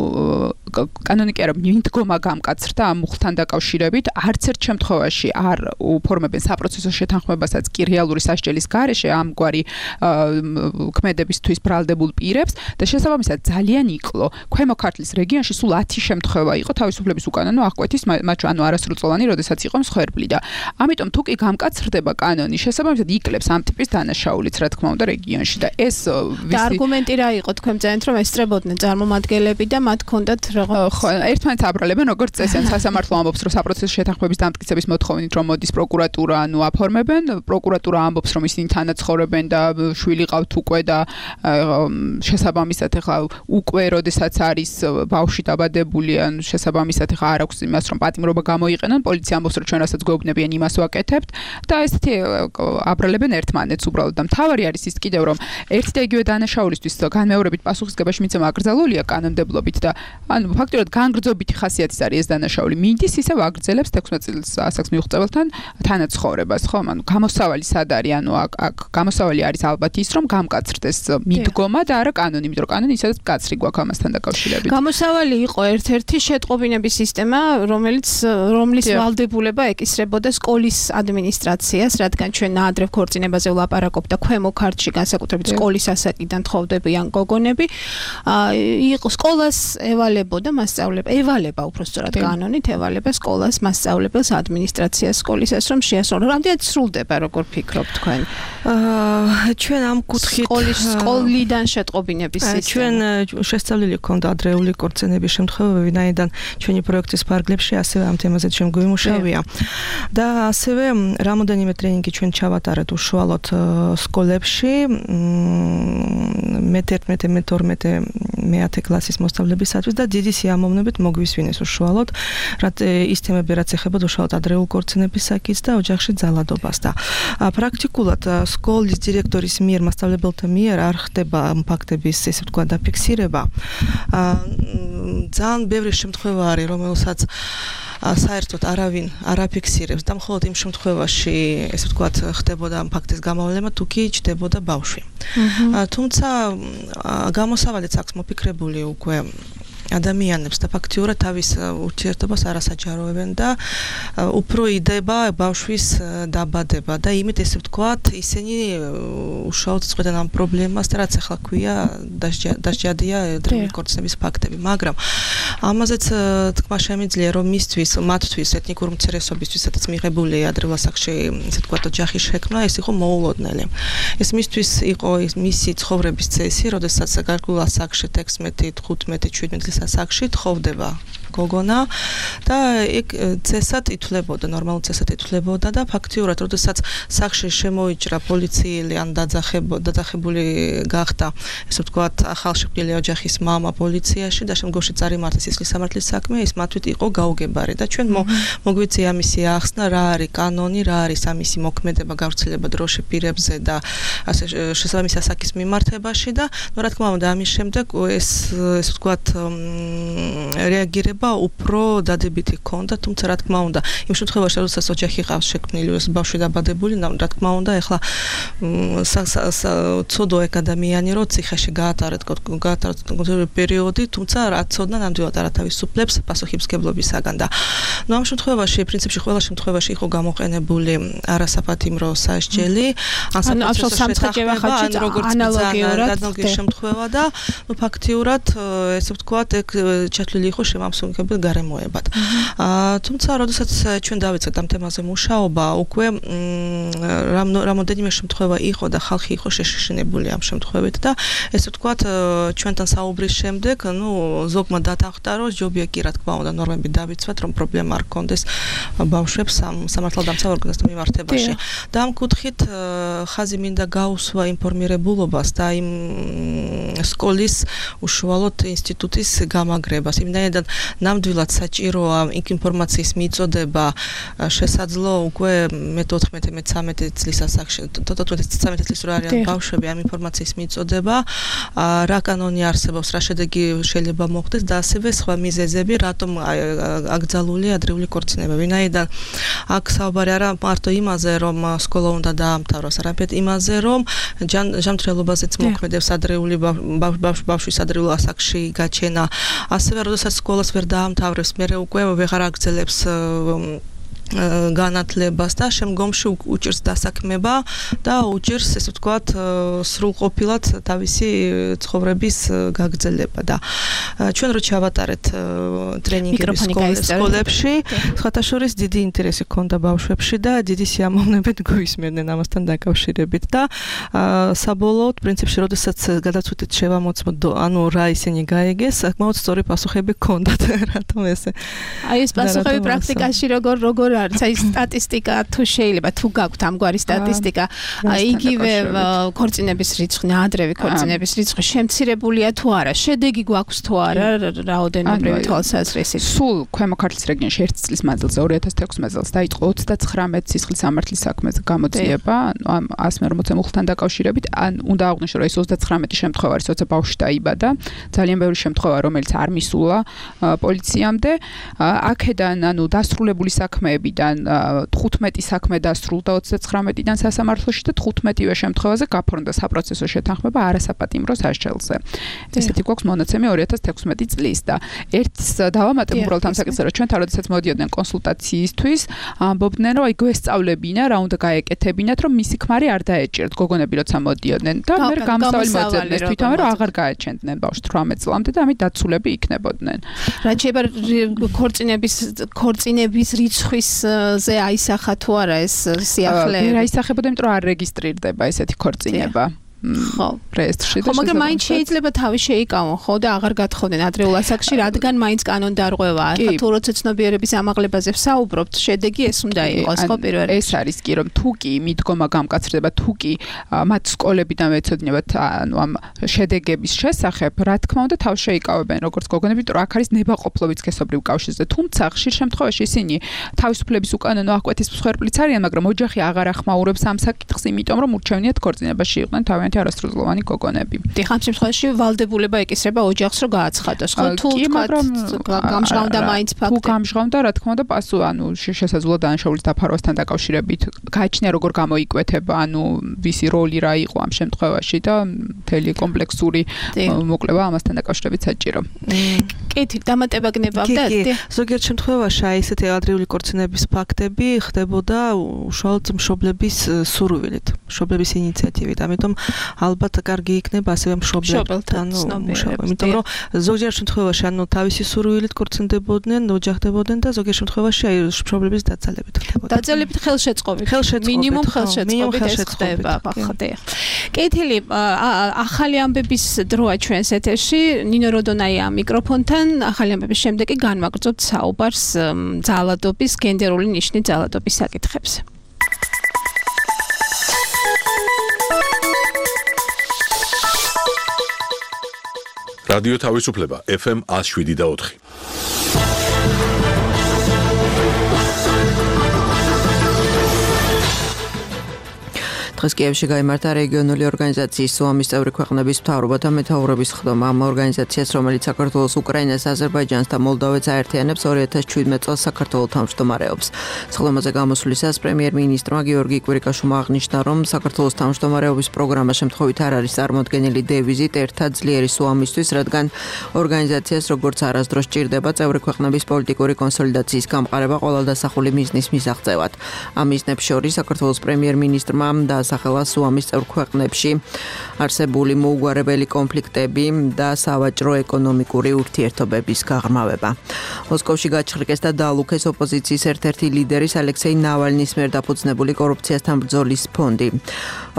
კანონი კი არა, მიდგომა გამკაცრდა ამ მუხლთან დაკავშირებით, არც ერთ შემთხვევაში არ უფორმებენ საპროცესო შეთანხმებასაც კი რეალური სასჯელის გარეშე ამგვარი ქმედებისთვის ბრალდებულ პირებს და შესაბამისად ძალიან იკლო. ქვემო ქართლის რეგიონში სულ ათი შემთხვევა იყო თავისუფლების უკანონო აღკვეთის, მათ ანუ არასრულწლოვანი, როდესაც იყო მსხვერპლი და ამიტომ თუ კი გამკაცრდება კანონი, შესაბამისად იკლებს ამ ტიპის დანაშაულიც, რა თქმა უნდა, რეგიონში და ეს და არგუმენტი რა იყო თქვენ ძენთ რომ ესწრებოდნენ წარმომადგენლები და მათ ჰქონდათ რაღაც ხო, ერთმანეთს აბრალებენ, როგორც წესი, სასამართლო ამბობს, რომ საპროცესო შეთანხმების დამტკიცების მოთხოვნით რომ მოდის პროკურატურა, ანუ აფორმებენ, პროკურატურა ამბობს, რომ ისინი თანაცხოვრებენ და შვილი ყავთ უკვე და შესაბამისად ახლა უკვე როდესაც არის ბავშვი დაბადებული, ანუ შესაბამისად ახლა არ აქვს იმას, რომ პატიმრობა გამოიყენონ, პოლიცია ამბობს, რომ ჩვენ რასაც გვეუბნებიან იმას ვაკეთებთ და ესეთი აბრალებენ ერთმანეთს უბრალოდ და მთავარი არის ის კიდევ რომ ერთი და იგივე დანაშაულისთვის განმეორებით პასუხისგებაში მიცემა აკრძალულია კანონმდებლობით და ანუ ფაქტობრივად განგრძობითი ხასიათის არის ეს დანაშაული. მიდის ისევ აგრძელებს თექვსმეტ წლის ასაკს მიუღწეველთან თანაცხოვრებას, ხო? ანუ გამოსავალი სად არის? ანუ აქ გამოსავალი არის ალბათ ის რომ გამკაცრდეს მიდგომა და არა კანონი, იმიტომ რომ კანონი ისედაც მკაცრი გვაქვს ამასთან დაკავშირებით. გამოსავალი იყო ერთ-ერთი შეტყობინების სისტემა, რომელიც რომლის ვალდებულება ეკისრებოდა სკოლის ადმინისტრაციას, რადგან ჩვენ ნაადრევ ქორწინებაზე ვლაპარაკობ და ქვემო ქართლში განსაკუთრებით სკოლის ასაკიდან თხოვდებიან გოგონები, იყო სკოლას ევალებოდა მასწავლებელი, ევალება უბრალოდ კანონით ევალება სკოლას მასწავლებელს ადმინისტრაციას სკოლისას რომ შეასრულოს. რამდენად სრულდება, როგორ ფიქრობთ თქვენ? აა ჩვენ ამ კუთხით სკოლის სკოლიდან შეტყობინების სისტემა. ჩვენ შესწავლილი გქონდა ადრეული ქორწინების შემთხვევები, ვინაიდან ჩვენი პროექტის ფარგლებში ასევე ამ თემაზე ჩვენ გვიმუშავია. და ასევე რამოდენიმე ტრენინგი ჩვენ ჩავატარეთ უშუალოდ სკოლებში მეთერთმეტე მეთორმეტე მეათე კლასის მოსწავლებისათვის და დიდი სიამოვნებით მოგვისვინეს უშუალოდ რაც ის თემები რაც ეხება უშუალოდ ადრეულ ქორწინების საკითხს და ოჯახში ძალადობას და პრაქტიკულად სკოლის დირექტორის მიერ მასწავლებელთა მიერ არ ხდება ამ ფაქტების ესე ვთქვა დაფიქსირება. ძალიან ბევრი შემთხვევა არის რომელსაც საერთოდ არავინ არ აფიქსირებს და მხოლოდ იმ შემთხვევაში ესე ვთქვათ ხდებოდა ამ ფაქტის გამოვლენა თუ კი ჩდებოდა ბავშვი. თუმცა გამოსავალიც აქვს მოფიქრებული უკვე ადამიანებს და ფაქტიურად თავის ურთიერთობას არ ასაჯაროებენ და უფრო იდება ბავშვის დაბადება და იმით ესე ვთქვათ ისინი უშუალოდ წყვეტენ ამ პრობლემას და რაც ახლა ქვია დასჯადია დროული ქორწინების ფაქტები, მაგრამ ამაზეც თქმა შემიძლია რომ მისთვის მათთვის ეთნიკური უმცირესობისთვის სადაც მიღებული ადრეულ ასაკში ესე ვთქვათ ოჯახის შექმნა ეს იყო მოულოდნელი. ეს მისთვის იყო მისი ცხოვრების წესი, როდესაც გარკვეულ ასაკში თექვსმეტი, თხუთმეტი, შვიდმეტი ასაკში თხოვდება გოგონა და ეგ წესად ითვლებოდა, ნორმალურ წესად ითვლებოდა და ფაქტიურად, როდესაც სახში შემოიჭრა პოლიციელი ან დაძახებული გახდა, ესე ვთქვათ, ახალშობილი ოჯახის მამა პოლიციაში და შემდგომში წარიმართა სისხლის სამართლის საქმე, ის მათთვის იყო გაუგებარი და ჩვენ მოგვიწია ამისი ახსნა, რა არის კანონი, რა არის ამისი მოქმედება, გავრცელება დროში პირებზე და ასე შესაბამისი ასაკის მიმართებაში და ნუ რა თქმა უნდა ამის შემდეგ ეს ესე ვთქვათ რეაგირება უფრო დადებითი ჰქონდა, თუმცა რა თქმა უნდა, იმ შემთხვევაში, როდესაც ოჯახი ყავს შექმნილი, ბავშვი დაბადებული, რა თქმა უნდა, ეხლა ცოდო ეგ ადამიანი, რომ ციხეში გაატარეთ კონკრეტული პერიოდი, თუმცა რა ცოდნა ნამდვილად არავისუფლებს პასუხისმგებლობისაგან და ნუ ამ შემთხვევაში, პრინციპში ყველა შემთხვევაში იყო გამოყენებული არასაფათიმრო სასჯელი, ან საფათიმრო სამსახება ხაჭი როგორც ანალოგიურად შემთხვევა და ნუ ფაქტიურად ესე ვთქვათ, ეგ ჩათვლილი იყო შემამსუბუქებელ გარემოებად. თუმცა, როდესაც ჩვენ დავიწყეთ ამ თემაზე მუშაობა, უკვე რამოდენიმე შემთხვევა იყო და ხალხი იყო შეშინებული ამ შემთხვევით და ესე ვთქვათ, ჩვენთან საუბრის შემდეგ, ნუ ზოგმა დათანხმდა, რომ ჯობია კი რა თქმა უნდა ნორმები დავიცვათ, რომ პრობლემა არ გქონდეს ბავშვებს სამართალდამცავ ორგანოსთან მიმართებაში. და ამ კუთხით ხაზი მინდა გაუსვა ინფორმირებულობას და იმ სკოლის უშუალოდ ინსტიტუტის გამაგრებას. იმდენად ნამდვილად საჭიროა იქ ინფორმაციის მიწოდება შესაძლო უკვე მეთოთხმეტე მეთერთმეტე წლის ასაკში თოთხმეტე წლის რო არიან ბავშვები ამ ინფორმაციის მიწოდება რა კანონი არსებობს რა შედეგი შეიძლება მოხდეს და ასევე სხვა მიზეზები რატომ აკრძალული ადრეული ქორწინება ვინაიდან აქ საუბარი არა მარტო იმაზე რომ სკოლა უნდა დაამთავროს არამედ იმაზე რომ ჯანმრთელობაზეც მოქმედებს ადრეული ბავშვის ადრეულ ასაკში გაჩენა ასევე როდესაც სკოლას ვერ დაამთავრებს, მერე უკვე ვეღარ აგრძელებს განათლებას და შემდგომში უჭირს დასაქმება და უჭირს ესე ვთქვათ სრულყოფილად თავისი ცხოვრების გაგრძელება და ჩვენ რო ჩავატარეთ ტრენინგები სკოლებში სხვათა შორის დიდი ინტერესი ჰქონდა ბავშვებში და დიდი სიამოვნებით გვისმენდნენ ამასთან დაკავშირებით და საბოლოოდ პრინციპში როდესაც გადავწყვიტეთ შევამოწმოთ ანუ რა ისინი გაიგეს საკმაოდ სწორი პასუხები ჰქონდათ რატომ ესე აი ეს პასუხები პრაქტიკაში როგორ როგორ არის აი სტატისტიკა თუ შეიძლება თუ გაქვთ ამგვარი სტატისტიკა იგივე ქორწინების რიცხვი ადრევი ქორწინების რიცხვი შემცირებულია თუ არა შედეგი გვაქვს თუ არა რაოდენობრივი თვალსაზრისით სულ ქვემო ქართლის რეგიონში ერთ წლის მანძილზე ორი ათას თექვსმეტ წელს დაიწყო ოცდაცხრამეტ სისხლის სამართლის საქმეზე გამოძიება ანუ ამ ას მერმოცე მუხლთან დაკავშირებით ან უნდა აღვნიშნო რომ ეს ოცდაცხრამეტი შემთხვევა არის როცა ბავშვი დაიბადა ძალიან ბევრი შემთხვევა რომელიც არ მისულა პოლიციამდე აქედან ანუ დასრულებული საქმეები თხუთმეტი საქმე დასრულდა ოცდაცხრამეტიდან სასამართლოში და თხუთმეტივე შემთხვევაზე გაფორმდა საპროცესო შეთანხმება არასაპატიმრო სასჯელზე. ესეთი გვაქვს მონაცემი ორი ათას თექვსმეტი წლის და ერთს დავამატებ უბრალოდ ამ საკითხზე რომ ჩვენთან როდესაც მოდიოდნენ კონსულტაციისთვის ამბობდნენ რომ აი გვესწავლებინა რა უნდა გაეკეთებინათ რომ მისი ქმარი არ დაეჭირთ გოგონები როცა მოდიოდნენ და მე გამსწავლი მოძებნეს თვითონ რომ აღარ გააჩენდნენ ბავშვს თვრამეტ წლამდე და ამით დაცულები იქნებოდნენ. რაც შეიძლება ქორწინების ქორწინების რიცხვის ზე აისახა თუ არა ეს სიახლეები? ვერ აისახებოდა, იმიტომ რომ არ რეგისტრირდება ესეთი ქორწინება. ხო, რეესტრში და ხო, მაგრამ მაინც შეიძლება თავი შეიკავონ, ხო და აღარ გათხოვდნენ ადრეულ ასაკში, რადგან მაინც კანონდარღვევაა. ხა თუ როცა ცნობიერების ამაღლებაზე ვსაუბრობთ, შედეგი ეს უნდა იყოს, ხო პირველ რიგში. ეს არის კი რომ თუ კი მიდგომა გამკაცრდება, თუ კი მათ სკოლებიდან ეცოდინებათ ანუ ამ შედეგების შესახებ, რა თქმა უნდა თავ შეიკავებენ როგორც გოგონები, იმიტომ რომ აქ არის ნებაყოფლობით სქესობრივ კავშირზე. თუმცა ხშირ შემთხვევაში ისინი თავისუფლების უკანონო აღკვეთის მსხვერპლიც არიან, მაგრამ ოჯახი აღარ ახმაურებს ამ საკითხს, იმიტომ რომ ურჩევნიათ ქორწინებაში იყვნენ თავიანთი ერთმანეთი არასრულოვანი გოგონები. დიახ, ამ შემთხვევაში ვალდებულება ეკისრება ოჯახს რომ გააცხადოს, ხო? თუ თქვა გამჟღავნდა მაინც ფაქტი. თუ გამჟღავნდა, რა თქმა უნდა, პასუხი, ანუ შესაძლოა დანაშაულის დაფარვასთან დაკავშირებით გააჩნია როგორ გამოიკვეთება, ანუ ვისი როლი რა იყო ამ შემთხვევაში და მთელი კომპლექსური მოკლება ამასთან დაკავშირებით საჭირო. კეთი, დამატება გნებავდათ? ზოგიერთ შემთხვევაში აი ესეთი ადრეული ქორწინების ფაქტები ხდებოდა უშუალოდ მშობლების სურვილით, მშობლების ინიციატივით. ამიტომ ალბათ კარგი იქნება ასევე მშობლებთან მუშაობა. იმიტომ რომ ზოგიერთ შემთხვევაში ანუ თავისი სურვილით ქორწინდებოდნენ, ოჯახდებოდნენ და ზოგიერთ შემთხვევაში აი მშობლების დაცალებით ხდებოდა. დაცალებით ხელშეწყობით. მინიმუმ ხელშეწყობით ეს ხდება, ხდება. კეთილი, ახალი ამბების დროა ჩვენს ეთერში. ნინო როდონაია მიკროფონთან. ახალი ამბების შემდეგ კი განვაგრძობთ საუბარს ძალადობის, გენდერული ნიშნის ძალადობის საკითხებზე. რადიო თავისუფლება ეფ ემ one oh seven და four. დღეს კიევში გაიმართა რეგიონული ორგანიზაციის სუამის წევრი ქვეყნების მთავრობათა მეთაურობის ხდომა. ამ ორგანიზაციას, რომელიც საქართველოს, უკრაინას, აზერბაიჯანს და მოლდოვეთს აერთიანებს, ორი ათას შვიდმეტ წელს საქართველოს თავმჯდომარეობს. სხდომაზე გამოსვლისას პრემიერ-მინისტრმა გიორგი კვირიკაშვილმა აღნიშნა, რომ საქართველოს თავმჯდომარეობის პროგრამა შემთხვევით არ არის წარმოდგენილი დევიზით ერთად ძლიერი სუამისთვის, რადგან ორგანიზაციას როგორც არასდროს სჭირდება წევრი ქვეყნების პოლიტიკური კონსოლიდაციის გამყარება ყველა დასახული მიზნის მისაღწევად. ამ მიზნებს შორის საქართველოს პრემიერ-მინისტრმა და სახელა სუამის წევრ ქვეყნებში არსებული მოუგვარებელი კონფლიქტები და სავაჭრო ეკონომიკური ურთიერთობების გაღრმავება. მოსკოვში გაჩხრიკეს და დაალუქეს ოპოზიციის ერთ-ერთი ლიდერის ალექსეი ნავალნის მიერ დაფუძნებული კორუფციასთან ბრძოლის ფონდი.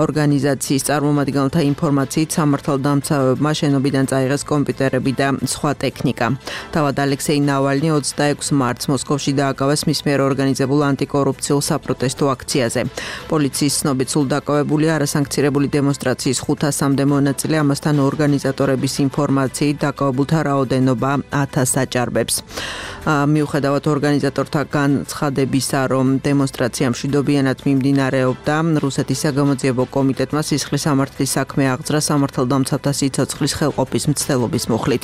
ორგანიზაციის წარმომადგენელთა ინფორმაციით სამართალდამცავებმა შენობიდან წაიღეს კომპიუტერები და სხვა ტექნიკა. თავად ალექსეი ნავალნი ოცდაექვსი მარტს მოსკოვში დააკავეს მის მიერ ორგანიზებულ ანტიკორუფციულ საპროტესტო აქციაზე. პოლიციის ცნობით სულ დაკავებული არასანქცირებული დემონსტრაციის ხუთასამდე მონაწილე, ამასთან ორგანიზატორების ინფორმაციით დაკავებულთა რაოდენობა ათასს აჭარბებს. მიუხედავად ორგანიზატორთა განცხადებისა, რომ დემონსტრაცია მშვიდობიანად მიმდინარეობდა, რუსეთის საგამოძიებო კომიტეტმა სისხლის სამართლის საქმე აღძრა სამართალდამცავთა სიცოცხლის ხელყოფის მცდელობის მუხლით.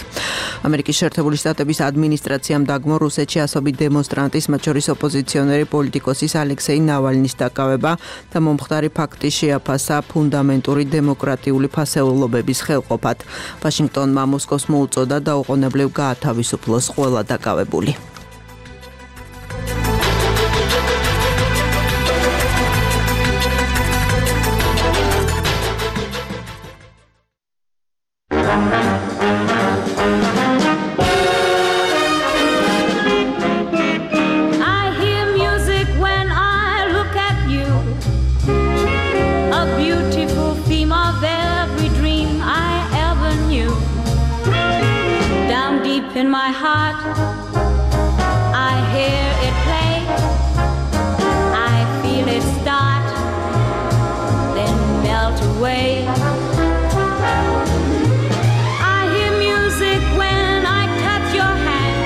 ამერიკის შეერთებული შტატების ადმინისტრაციამ დაგმო რუსეთში ასობით დემონსტრანტის, მათ შორის ოპოზიციონერი პოლიტიკოსის ალექსეი ნავალნის დაკავება და მომხდარი ფაქტი შეაფასა ფუნდამენტური დემოკრატიული ფასეულობების ხელყოფად. ვაშინგტონმა მოსკოვს მოუწოდა დაუყოვნებლივ გაათავისუფლოს ყველა დაკავებული. In my heart, I hear it play. I feel it start, then melt away. I hear music when I touch your hand,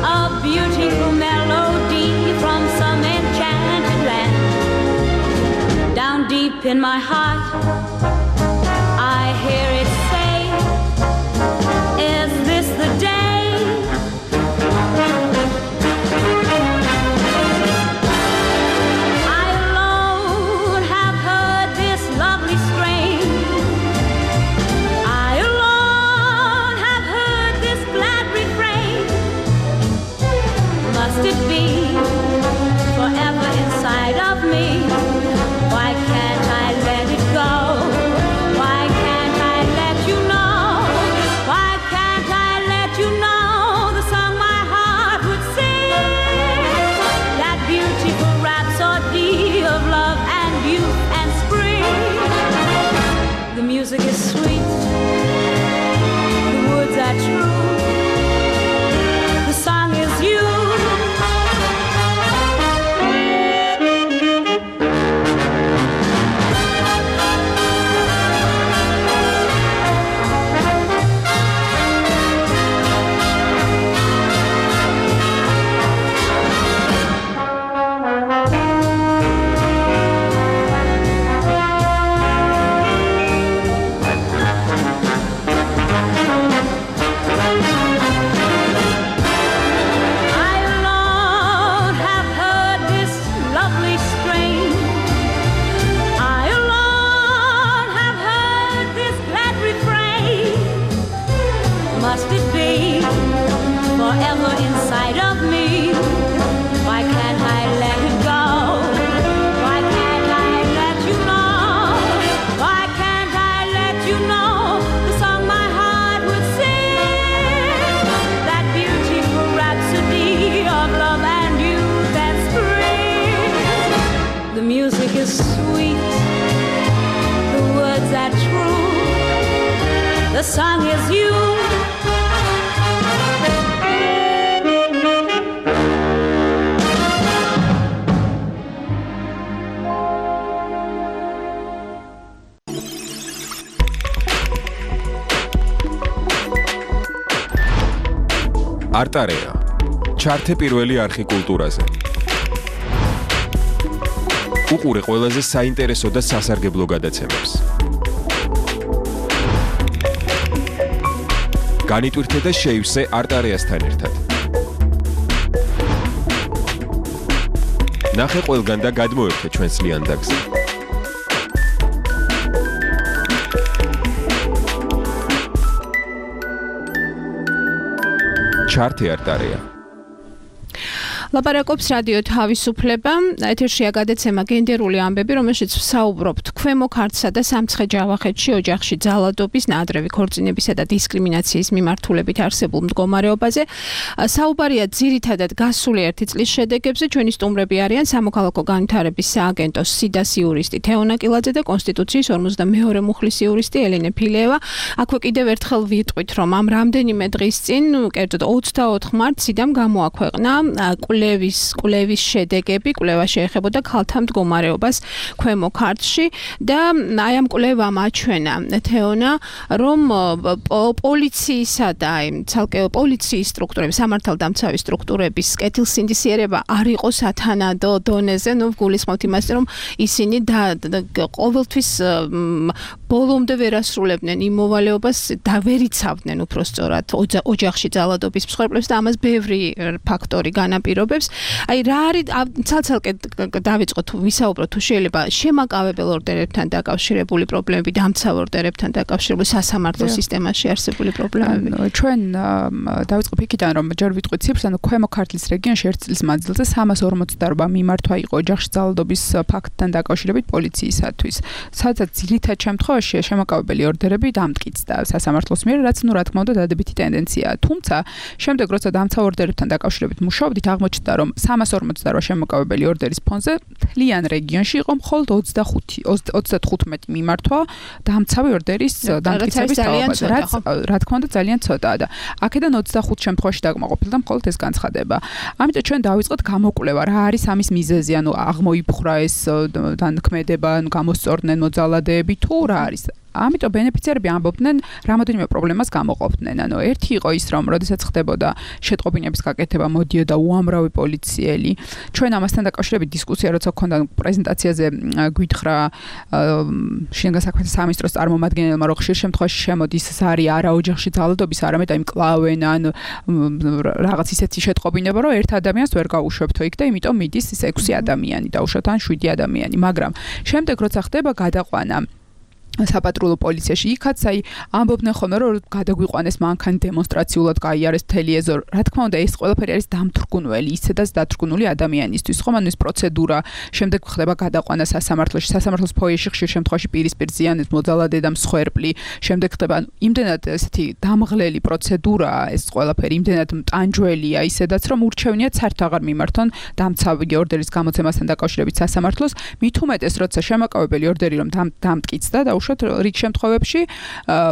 a beautiful melody from some enchanted land. Down deep in my heart, I hear it say, is this the day? I alone have heard this lovely strain. I alone have heard this glad refrain. Must it be forever inside of me? Why can't I let it go? Why can't I let you know? Why can't I let you know the song my heart would sing? That beautiful rhapsody of love and youth and spring. The music is sweet, the words are true, the song is you. is sweet, the words are true, the song is you. არტარეა. ჩართე პირველი არხი კულტურაზე. უყურე ყველაზე საინტერესო და სასარგებლო გადაცემებს. განიტვირთე და შეივსე არტარეასთან ერთად. ნახე ყველგან და გადმოერთე ჩვენს ლიანდაგზე. ჩართე არტარეა. ლაპარაკობს რადიო თავისუფლება, ეთერშია გადაცემა გენდერული ამბები, რომელშიც ვსაუბრობთ ქვემო ქართლსა და სამცხე-ჯავახეთში ოჯახში ძალადობის, ნაადრევი ქორწინებისა და დისკრიმინაციის მიმართულებით არსებულ მდგომარეობაზე. საუბარია ძირითადად გასული ერთი წლის შედეგებზე. ჩვენი სტუმრები არიან სამოქალაქო განვითარების სააგენტოს სიდას იურისტი თეონა კილაძე და კონსტიტუციის ორმოცდამეორე მუხლის იურისტი ელენე ფილეევა. აქვე კიდევ ერთხელ ვიტყვით, რომ ამ რამდენიმე დღის წინ, კერძოდ ოცდაოთხ მარტს სიდამ გამოაქვეყნა კვლევის კვლევის შედეგები, კვლევა შეეხებოდა ქალთა მდგომარეობას ქვემო ქართლში და აი ამ კვლევამ აჩვენა თეონა, რომ პოლიციისა და აი ცალკე პოლიციის სტრუქტურების, სამართალდამცავი სტრუქტურების კეთილსინდისიერება არ იყო სათანადო დონეზე, ნუ გულისხმობთ იმას, რომ ისინი და ყოველთვის ბოლომდე ვერ ასრულებდნენ იმ მოვალეობას და ვერ იცავდნენ უпростоრად ოჯახში ძალადობის მსხვერპლებს და ამას ბევრი ფაქტორი განაპირობებს. აი რა არის ცალ-ცალკე დავიწყოთ თუ ვისაუბროთ თუ შეიძლება შემაკავებელ ორდერებთან დაკავშირებული პრობლემები, დამცავ ორდერებთან დაკავშირებული სასამართლო სისტემაში არსებული პრობლემები. ჩვენ დავიწყოთ იქიდან რომ ჯერ ვიტყვით ციფრს, ანუ ქვემო ქართლის რეგიონში ერთ წლის მანძილზე სამას ორმოცდაოთხ მიმართვა იყო ოჯახში ძალადობის ფაქტთან დაკავშირებით პოლიციისათვის. სადაც ძირითად შემთხვევაში შემაკავებელი ორდერები დამტკიცდა სასამართლოს მიერ, რაც ნუ რა თქმა უნდა დადებითი ტენდენციაა. თუმცა შემდეგ როცა დამცავ ორდერებთან დაკავშირებით მუშაობდით, აღმოჩნდა რომ სამას ორმოცდაოთხ შემოკავებელი ორდერის ფონზე მთლიან რეგიონში იყო მხოლოდ ოცდახუთი ოცდათხუთმეტი მიმართვა დამცავი ორდერის დამტკიცების თაობაზე, რაც რა თქმა უნდა ძალიან ცოტაა და აქედან ოცდახუთ შემთხვევაში დაკმაყოფილდა მხოლოდ ეს განცხადება. ამიტომ ჩვენ დავიწყოთ გამოკვლევა, რა არის ამის მიზეზი, ანუ აღმოიფხვრა ეს დანქმედება, ანუ გამოსწორდნენ მოძალადეები თუ რა არის. ამიტომ ბენეფიციარები ამბობდნენ რამოდენიმე პრობლემას გამოყოფდნენ. ანუ ერთი იყო ის, რომ როდესაც ხდებოდა შეტყობინების გაკეთება, მოდიოდა უამრავი პოლიციელი. ჩვენ ამასთან დაკავშირებით დისკუსია როცა გქონდა პრეზენტაციაზე გვითხრა შინაგან საქმეთა სამინისტროს წარმომადგენელმა, რომ ხშირ შემთხვევაში შემოდის ზარი არა ოჯახში ძალადობის, არამედ აი მკლავენ ან რაღაც ისეთი შეტყობინება, რომ ერთ ადამიანს ვერ გაუშვებთო იქ და იმიტომ მიდის ის ექვსი ადამიანი დაუშვათ ან შვიდი ადამიანი. მაგრამ შემდეგ როცა ხდება გადაყვანა საპატრულო პოლიციაში, იქაც აი ამბობდნენ ხოლმე, რომ გადაგვიყვანეს მანქანი დემონსტრაციულად გაიარეს მთელი ეზო. რა თქმა უნდა, ეს ყველაფერი არის დამთრგუნველი, ისედაც დათრგუნული ადამიანისთვის. ხომ ანუ ეს პროცედურა, შემდეგ ხდება გადაყვანა სასამართლოში, სასამართლოს ფოიეში ხშირ შემთხვევაში პირისპირ ზიანის მოძალადე და მსხვერპლი, შემდეგ ხდება იმდენად ესეთი დამღლელი პროცედურაა ეს ყველაფერი, იმდენად მტანჯველია, ისედაც რომ ურჩევნიათ საერთოდ აღარ მიმართონ დამცავი ორდერის გამოცემასთან დაკავშირებით სასამართლოს, მით უმეტეს როცა შემაკავებელი ორდერი რომ დამტკიცდა და რიგ შემთხვევებში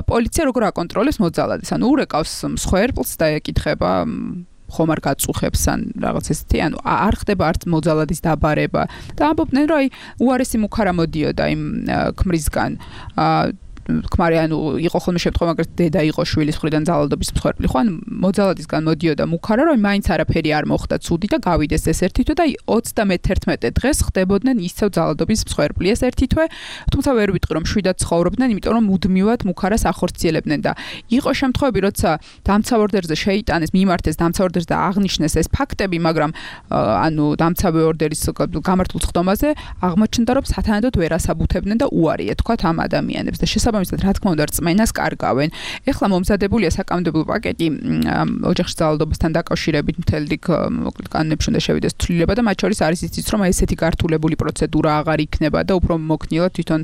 პოლიცია როგორ აკონტროლებს მოძალადეს, ანუ ურეკავს მსხვერპლს და ეკითხება ხომ არ გაწუხებს ან რაღაც ესეთი, ანუ არ ხდება არც მოძალადის დაბარება და ამბობდნენ, რომ აი უარესი მუქარა მოდიოდა იმ ქმრისგან. ქმარი ანუ იყო ხოლმე შემთხვევა, მაგრამ დედა იყო შვილის მხრიდან ძალადობის მსხვერპლი, ხო, ან მოძალადისგან მოდიოდა მუქარა, რომ მაინც არაფერი არ მოხდა ცუდი და გავიდეს ეს ერთი თვე და ოცდამეთერთმეტე დღეს ხდებოდნენ ისევ ძალადობის მსხვერპლი ეს ერთი თვე, თუმცა ვერ ვიტყვი რომ შვიდად ცხოვრობდნენ, იმიტომ რომ მუდმივად მუქარას ახორციელებდნენ და იყო შემთხვევები, როცა დამცავ ორდერზე შეიტანეს, მიმართეს დამცავ ორდერს და აღნიშნეს ეს ფაქტები, მაგრამ ანუ დამცავი ორდერის გამართულ ხდომაზე აღმოჩნდა, რომ სათანადოდ ვერ ასაბუთებდნენ და უარი ეთქვათ ამ ადამიანებს და შესაბამისად, რა თქმა უნდა, რწმენას კარგავენ. ეხლა მომზადებულია საკანონმდებლო პაკეტი ოჯახში ძალადობასთან დაკავშირებით, მთელი რიგ მოკლედ კანონებში უნდა შევიდეს ცვლილება და მათ შორის არის ისიც, რომ ესეთი გართულებული პროცედურა აღარ იქნება და უფრო მოქნილა თვითონ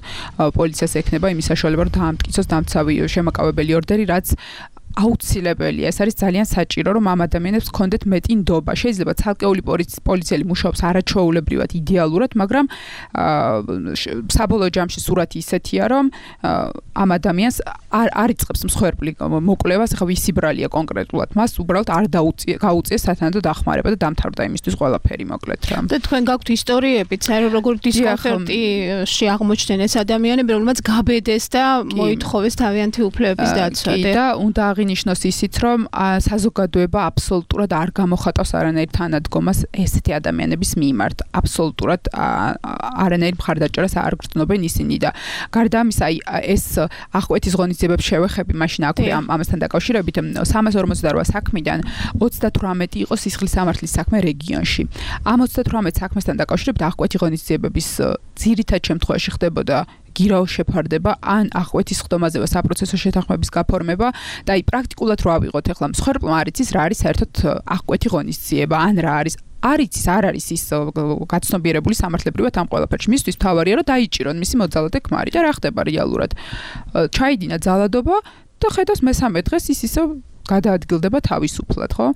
პოლიციას ექნება იმის საშუალება, რომ დაამტკიცოს დამცავი შემაკავებელი ორდერი, რაც აუცილებელია. ეს არის ძალიან საჭირო, რომ ამ ადამიანებს ჰქონდეთ მეტი ნდობა. შეიძლება ცალკეული პოლიციელი მუშაობს არაჩვეულებრივად, იდეალურად, მაგრამ საბოლოო ჯამში სურათი ისეთია, რომ ამ ადამიანს არ არ იწყებს მსხვერპლი მოკვლევას, ახლა ვისი ბრალია კონკრეტულად, მას უბრალოდ არ გაუწიეს სათანადო დახმარება და დამთავრდა იმისთვის ყველაფერი, მოკლედ რა. და თქვენ გაქვთ ისტორიებიც, აი როგორ დისკომფორტში აღმოჩნდნენ ეს ადამიანები, რომელმაც გაბედეს და მოითხოვეს თავიანთი უფლებების დაცვა. და უნდა აღინიშნოს ისიც, რომ საზოგადოება აბსოლუტურად არ გამოხატავს არანაირ თანადგომას ესეთი ადამიანების მიმართ. აბსოლუტურად არანაირ მხარდაჭერას არ გრძნობენ ისინი და გარდა ამისა, აი ეს აღკვეთის ღონისძიებებს შევეხები, მაშინ აქვე ამასთან დაკავშირებით სამას ორმოცდარვა საქმიდან ოცდათვრამეტი იყო სისხლის სამართლის საქმე რეგიონში. ამ ოცდათვრამეტ საქმესთან დაკავშირებით აღკვეთი ღონისძიებების ძირითად შემთხვევაში ხდებოდა გირაო შეფარდება ან აღკვეთის ხდომაზე საპროცესო შეთანხმების გაფორმება და აი პრაქტიკულად რა ავიღოთ ახლა მსხვერპლმა არ იცის რა არის საერთოდ აღკვეთი ღონისძიება ან რა არის არ იცის არ არის ის გაცნობიერებული სამართლებრივად ამ ყველაფერში მისთვის თავარია რომ დაიჭირონ მისი მოძალადე ქმარი და რა ხდება რეალურად ჩაიდინა ძალადობა და ხედავს მესამე დღეს ის ისე გადაადგილდება თავისუფლად, ხო?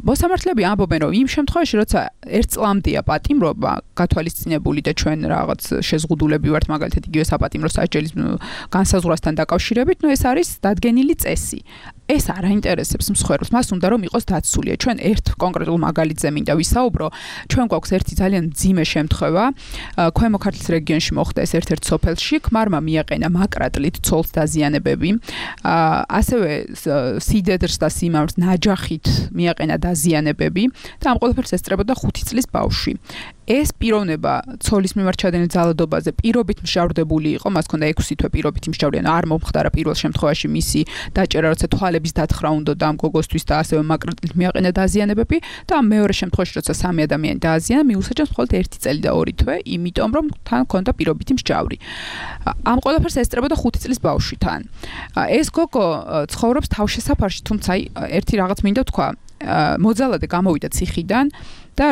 მოსამართლეები ამბობენ, რომ იმ შემთხვევაში, როცა ერთ წლამდეა პატიმრობა გათვალისწინებული და ჩვენ რაღაც შეზღუდულები ვართ, მაგალითად იგივე საპატიმრო სასჯელის განსაზღვრასთან დაკავშირებით, ნუ ეს არის დადგენილი წესი. ეს არ აინტერესებს მსხვერპლს, მას უნდა რომ იყოს დაცულია. ჩვენ ერთ კონკრეტულ მაგალითზე მინდა ვისაუბრო. ჩვენ გვაქვს ერთი ძალიან მძიმე შემთხვევა. ქვემო ქართლის რეგიონში მოხდა ეს ერთ-ერთ სოფელში, ქმარმა მიაყენა მაკრატლით ცოლს დაზიანებები. ასევე სიდედრს და სიმამრს ნაჯახით მიაყენა დაზიანებები და ამ ყველაფერს ესწრებოდა ხუთი წლის ბავშვი. ეს პიროვნება ცოლის მიმართ ჩადენილ ძალადობაზე პირობით მშავრდებული იყო, მას ჰქონდა ექვსი თვე პირობით მშავრდიან, არ მომხდარა პირველ შემთხვევაში მისი დაჭერა, როცა თვალების დათხრა უნდოდა ამ გოგოსთვის და ასევე მაკრატლით მიაყენა დაზიანებები და ამ მეორე შემთხვევაში, როცა სამი ადამიანი დააზიანა, მიუსაჯეს მხოლოდ ერთი წელი და ორი თვე, იმიტომ რომ თან ჰქონდა პირობითი მშავრი. ამ ყველაფერს ესწრებოდა ხუთი წლის ბავშვი თან. ეს გოგო ცხოვრობს თავშესაფარში, თუმცა ერთი რაღაც მინდა თქვა, მოძალადე გამოვიდა ციხიდან და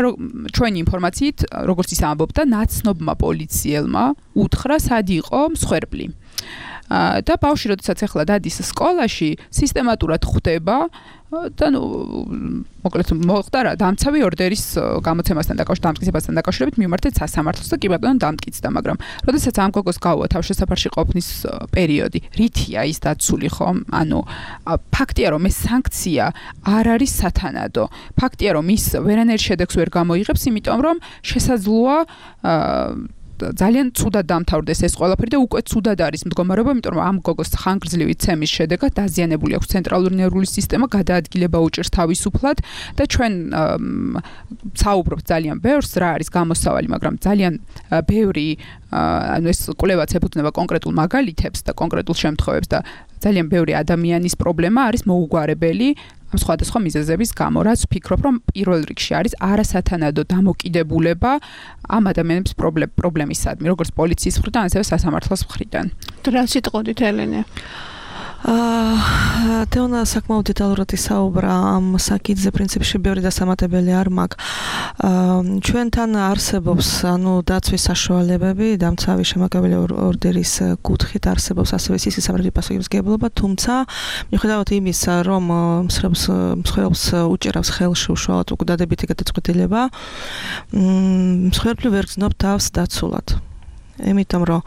ჩვენი ინფორმაციით, როგორც ის ამბობდა, ნაცნობმა პოლიციელმა უთხრა, სად იყო მსხვერპლი. და ბავშვი, როდესაც ახლა დადის სკოლაში, სისტემატურად ხვდება და ნუ მოკლედ მოხდა რა დამცავი ორდერის გამოცემასთან დაკავშირებით, დამტკიცებასთან დაკავშირებით მიმართეთ სასამართლოს და კი ბატონო დამტკიცდა, მაგრამ როდესაც ამ გოგოს გაუვა თავშესაფარში ყოფნის პერიოდი, რითია ის დაცული ხომ? ანუ ფაქტია რომ ეს სანქცია არ არის სათანადო. ფაქტია რომ ის ვერანაირ შედეგს ვერ გამოიღებს, იმიტომ რომ შესაძლოა ძალიან ცუდად დამთავრდეს ეს ყველაფერი და უკვე ცუდად არის მდგომარეობა, იმიტომ რომ ამ გოგოს ხანგრძლივი ცემის შედეგად დაზიანებული აქვს ცენტრალური ნერვული სისტემა, გადაადგილება უჭირს თავისუფლად და ჩვენ საუბრობთ ძალიან ბევრს, რა არის გამოსავალი, მაგრამ ძალიან ბევრი ანუ ეს კვლევაც ეფუძნება კონკრეტულ მაგალითებს და კონკრეტულ შემთხვევებს და ძალიან ბევრი ადამიანის პრობლემა არის მოუგვარებელი ამ სხვადასხვა მიზეზების გამო, რაც ვფიქრობ, რომ პირველ რიგში არის არასათანადო დამოკიდებულება ამ ადამიანების პრობლემისადმი, როგორც პოლიციის მხრიდან, ასევე სასამართლოს მხრიდან. რა სიტყვით, ელენე? აა თეონა საკმაოდ დეტალურად ისაუბრა ამ საკითხზე, პრინციპში ბევრი დასამატებელი არ მაქვს. აა ჩვენთან არსებობს, ანუ დაცვის საშუალებები, დამცავი შემაკაველი ორდერის კუთხით არსებობს ასევე სისხლის სამართლის პასუხისმგებლობა, თუმცა მიუხედავად იმისა, რომ მსხვერპლს მსხვერპლს უჭერავს ხელში უშუალოდ უკვე დადებითი გადაწყვეტილება, მსხვერპლი ვერ გრძნობს თავს დაცულად. იმიტომ რომ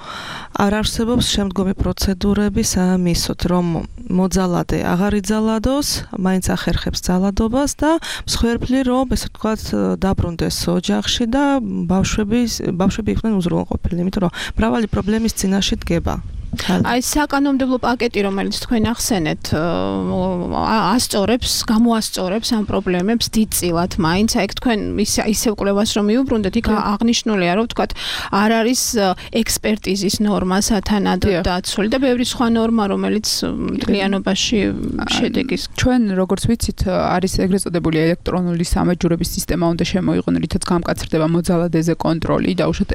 არ არსებობს შემდგომი პროცედურები სამისოთ, რომ მოძალადე აღარ იძალადოს, მაინც ახერხებს ძალადობას და მსხვერპლი რომ ესე ვთქვათ დაბრუნდეს ოჯახში და ბავშვები ბავშვები იყვნენ უზრუნველყოფილი, იმიტომ რომ მრავალი პრობლემის წინაშე დგება. აი საკანონმდებლო პაკეტი, რომელიც თქვენ ახსენეთ, ასწორებს, გამოასწორებს ამ პრობლემებს დიდწილად, მაინც აი თქვენ ისევ კვლევას რომ მიუბრუნდეთ, იქ აღნიშნულია, რომ ვთქვათ, არ არის ექსპერტიზის ნორმა სათანადო დაცული და ბევრი სხვა ნორმა, რომელიც მთლიანობაში შედეგის. ჩვენ როგორც ვიცით, არის ეგრეთ წოდებული ელექტრონული სამაჯურების სისტემა უნდა შემოიღონ, რითაც გამკაცრდება მოძალადეზე კონტროლი და უშუალოდ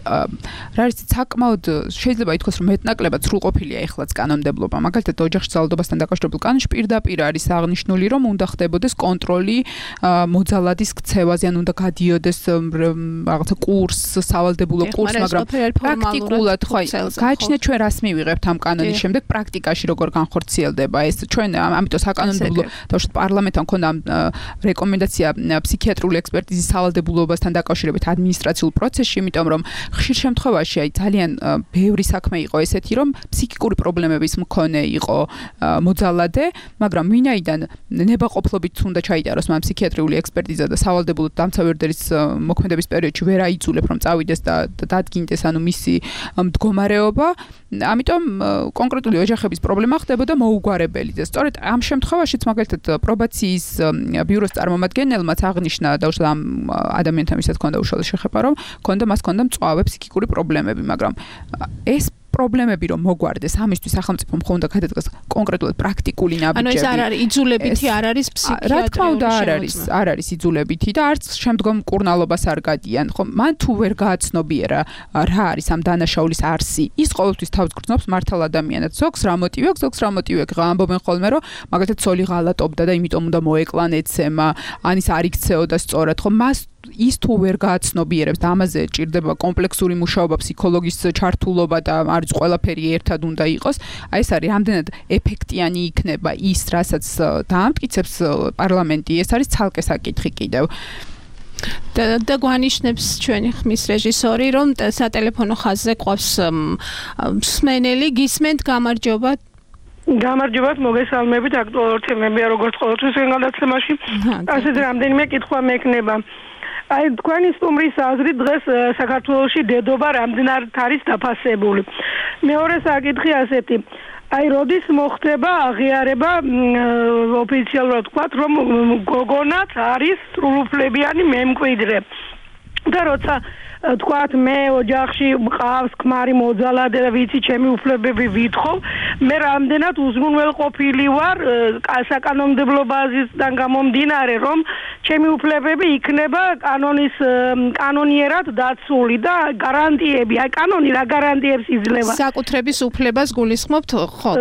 რა არის საკმაოდ შეიძლება ითქვას, რომ მეტნაკლებად სრულყოფილი ყოფილია ეხლაც კანონმდებლობა. მაგალითად, ოჯახში ძალადობასთან დაკავშირებულ კანონში პირდაპირ არის აღნიშნული, რომ უნდა ხდებოდეს კონტროლი მოძალადის ქცევაზე, ან უნდა გადიოდეს რაღაცა კურსს, სავალდებულო კურსს, მაგრამ პრაქტიკულად ხო, გააჩნია ჩვენ რას მივიღებთ ამ კანონის შემდეგ პრაქტიკაში როგორ განხორციელდება ეს. ჩვენ ამიტომ საკანონმდებლო თავშოთ პარლამენტთან ქონდა რეკომენდაცია ფსიქიატრიული ექსპერტიზის სავალდებულობასთან დაკავშირებით ადმინისტრაციულ პროცესში, იმიტომ რომ ხშირ შემთხვევაში აი ძალიან ბევრი საქმე იყო ესეთი, რომ ფსიქიკური პრობლემების მქონე იყო მოძალადე, მაგრამ ვინაიდან ნებაყოფლობით უნდა ჩაიტაროს მან ფსიქიატრიული ექსპერტიზა და სავალდებულო დამცავი ორდერის მოქმედების პერიოდში ვერ აიძულებ რომ წავიდეს და დადგინდეს ანუ მისი მდგომარეობა, ამიტომ კონკრეტული ოჯახების პრობლემა ხდებოდა მოუგვარებელი და სწორედ ამ შემთხვევაშიც მაგალითად პრობაციის ბიუროს წარმომადგენელმაც აღნიშნა და უშუალოდ ამ ადამიანთან ვისაც ჰქონდა უშუალო შეხება რომ ჰქონდა მას ჰქონდა მწვავე ფსიქიკური პრობლემები, მაგრამ ეს პრობლემები რომ მოგვარდეს, ამისთვის სახელმწიფო მხოლოდ გადადგას კონკრეტულად პრაქტიკული ნაბიჯები. ანუ ეს არ არის იძულებითი, არ არის ფსიქიატრიული. რა თქმა უნდა, არ არის, არ არის იძულებითი და არც შემდგომ კურნალობას არ გადიან. ხო, მან თუ ვერ გააცნობიერა რა არის ამ დანაშაულის არსი, ის ყოველთვის თავს გრძნობს მართალ ადამიანად. ზოგს რა მოტივი აქვს, ზოგს რა მოტივი აქვს. ამბობენ ხოლმე, რომ მაგალითად ცოლი ღალატობდა და იმიტომ უნდა მოეკლან ეცემა, ან ის არ იქცეოდა სწორად. ხო, მას ის თუ ვერ გააცნობიერებს და ამაზე ჭირდება კომპლექსური მუშაობა, ფსიქოლოგის ჩართულობა და არის ყველაფერი ერთად უნდა იყოს. აი ეს არის რამდენად ეფექტიანი იქნება ის, რასაც დაამტკიცებს პარლამენტი, ეს არის ცალკე საკითხი კიდევ. და და გვანიშნებს ჩვენი ხმის რეჟისორი, რომ სატელეფონო ხაზზე ყავს მსმენელი, გისმენთ, გამარჯობა. გამარჯობათ, მოგესალმებით, აქტუალური თემებია როგორც ყოველთვის განაცემაში. ასეთ რამდენიმე კითხვა მექნება. აი თქვენი სტუმრის აზრით დღეს საქართველოში დედობა რამდენად არის დაფასებული. მეორე საკითხი ასეთი. აი როდის მოხდება აღიარება ოფიციალურად ვთქვათ, რომ გოგონაც არის სრულუფლებიანი მემკვიდრე. და როცა თქვათ მე ოჯახში მყავს ქმარი მოძალადე და ვიცი ჩემი უფლებები ვითხოვ, მე რამდენად უზრუნველყოფილი ვარ საკანონმდებლო ბაზისიდან გამომდინარე, რომ ჩემი უფლებები იქნება კანონის კანონიერად დაცული და გარანტიები, აი კანონი რა გარანტიებს იძლევა. საკუთრების უფლებას გულისხმობთ, ხო,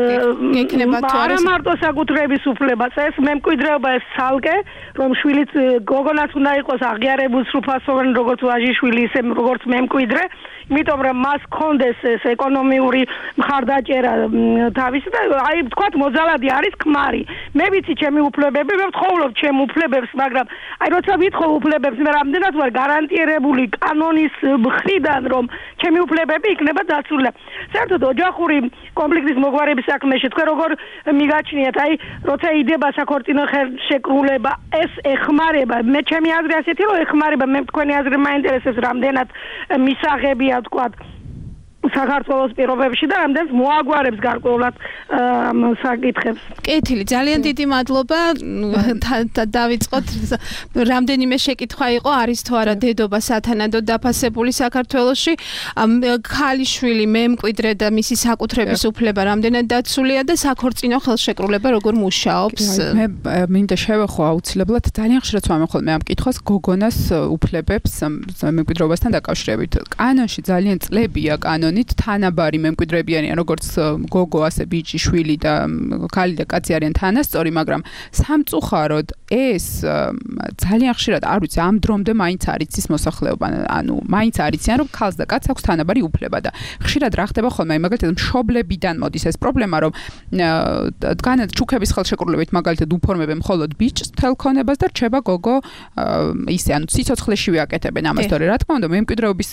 გექნება თუ არა მარტო საკუთრების უფლებას, ეს მემკვიდრეობა ეს ცალკე, რომ შვილიც გოგონაც უნდა იყოს აღიარებულ სრულფასოვანი როგორც ვაჟიშვილი, ისე როგორც მემკვიდრე, იმიტომ რომ მას კონდეს ეს ეკონომიური მხარდაჭერა თავისი და აი ვთქვათ მოძალადი არის ქმარი. მე ვიცი ჩემი უფლებები, მე ვთხოვლობ ჩემ უფლებებს, მაგრამ აი როცა ვითხოვ უფლებებს, მე რამდენად ვარ გარანტირებული კანონის მხრიდან, რომ ჩემი უფლებები იქნება დაცული. საერთოდ ოჯახური კონფლიქტის მოგვარების საქმეში თქვენ როგორ მიგაჩნიათ, აი როცა იდება საქორწინო ხელშეკრულება, ეს ეხმარება, მე ჩემი აზრი ასეთი რომ ეხმარება, მე თქვენი აზრი მაინტერესებს რამდენად მისაღებია ვთქვათ საქართველოს პირობებში და რამდენს მოაგვარებს გარკვეულად საკითხებს. კეთილი, ძალიან დიდი მადლობა. დავიწყოთ. რამდენიმე შეკითხვა იყო, არის თუ არა დედობა სათანადოდ დაფასებული საქართველოში. ქალიშვილი მემკვიდრე და მისი საკუთრების უფლება რამდენად დაცულია და საქორწინო ხელშეკრულება როგორ მუშაობს? მე მინდა შევეხო აუცილებლად ძალიან ხშირად ვამბობ ხოლმე ამ კითხვას გოგონას უფლებებს მემკვიდრეობასთან დაკავშირებით. კანონში ძალიან წლებია კანონი თანაბარი მემკვიდრეებიანი როგორც გოგო, ასე ბიჭი, შვილი და ქალი და კაცი არიან თანასწორი, მაგრამ სამწუხაროდ ეს ძალიან ხშირად არ ვიცი ამ დრომდე მაინც არ იცის მოსახლეობა, ანუ მაინც არ იციან რომ ქალს და კაცს აქვს თანაბარი უფლება და ხშირად რა ხდება ხოლმე, მაგალითად მშობლებიდან მოდის ეს პრობლემა, რომ დგანად ჩუქების ხელშეკრულებით მაგალითად უფორმებენ მხოლოდ ბიჭს თელქონებას და რჩება გოგო ისე, ანუ სიცოცხლეში ვიაკეთებენ ამას, თორე რა თქმა უნდა მემკვიდრეობის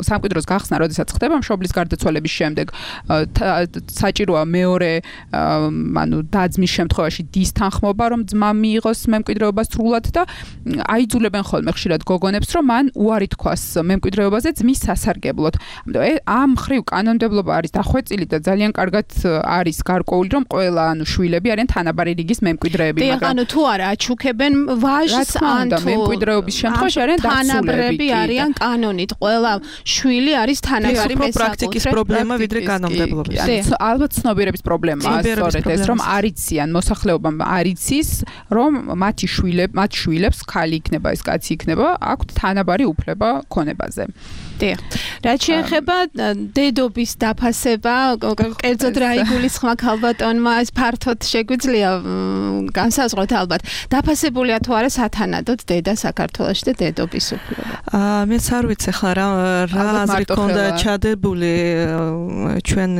სამკვიდროს გახსნა როდესაც ხდება მშობლის გარდაცვალების შემდეგ საჭიროა მეორე ანუ დაძმის შემთხვევაში დის თანხმობა რომ ძმა მიიღოს მემკვიდრეობა სრულად და აიძულებენ ხოლმე ხშირად გოგონებს რომ მან უარი თქვას მემკვიდრეობაზე ძმის სასარგებლოდ. ამ მხრივ კანონმდებლობა არის დახვეწილი და ძალიან კარგად არის გარკვეული რომ ყველა ანუ შვილები არიან თანაბარი რიგის მემკვიდრეები, მაგრამ ანუ თუ არა აჩუქებენ ვაჟს ან თუ მემკვიდრეობის შემთხვევაში არიან დასულები არიან კანონით ყველა შვილი არის თანაბარი პრაქტიკის პრობლემა ვიდრე კანონმდებლობის. ალბათ ცნობიერების პრობლემაა სწორედ ეს, რომ არ იციან მოსახლეობამ არ იცის, რომ მათი შვილები, მათ შვილებს ქალი იქნება, ეს კაცი იქნება, აქვთ თანაბარი უფლება ქონებაზე. დიახ. რაც შეეხება დედობის დაფასება, კერძოდ რა იგულისხმება ქალბატონმა, ეს ფართოდ შეგვიძლია განსაზღვროთ ალბათ. დაფასებულია თუ არა სათანადოდ დედა საქართველოში და დედობის უფლება. აა მეც არ ვიცი ხლა რა რა აზრი ქონდა ჩადებული ჩვენ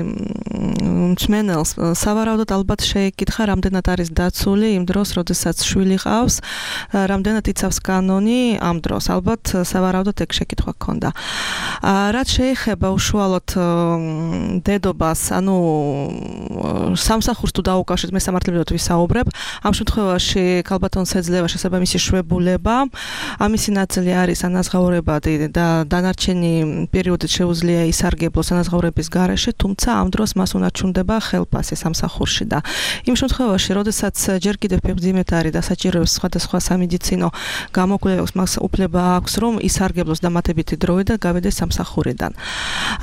მსმენელს. სავარაუდოდ ალბათ შეეკითხა, რამდენად არის დაცული იმ დროს, როდესაც შვილი ყავს, რამდენად იცავს კანონი ამ დროს. ალბათ სავარაუდოდ ეგ შეკითხვა ქონდა. რაც შეეხება უშუალოდ დედობას, ანუ სამსახურს თუ დაუკავშირეთ, მე სამართლებრივად ვისაუბრებ, ამ შემთხვევაში ქალბატონს ეძლევა შესაძლოა მისი შვებულება, ამისი ნაწილი არის ანაზღაურებადი და დანარჩენი პერიოდით შეუძლია ისარგებლოს ანაზღაურების გარეშე, თუმცა ამ დროს მას უნაჩვენდება ხელფასი სამსახურში და იმ შემთხვევაში, როდესაც ჯერ კიდევ ფეხმძიმედ არის და საჭიროებს სხვადასხვა სამედიცინო გამოკვლევებს, მას უფლება აქვს, რომ ისარგებლოს დამატებითი დროით და გავიდეს სამსახურიდან.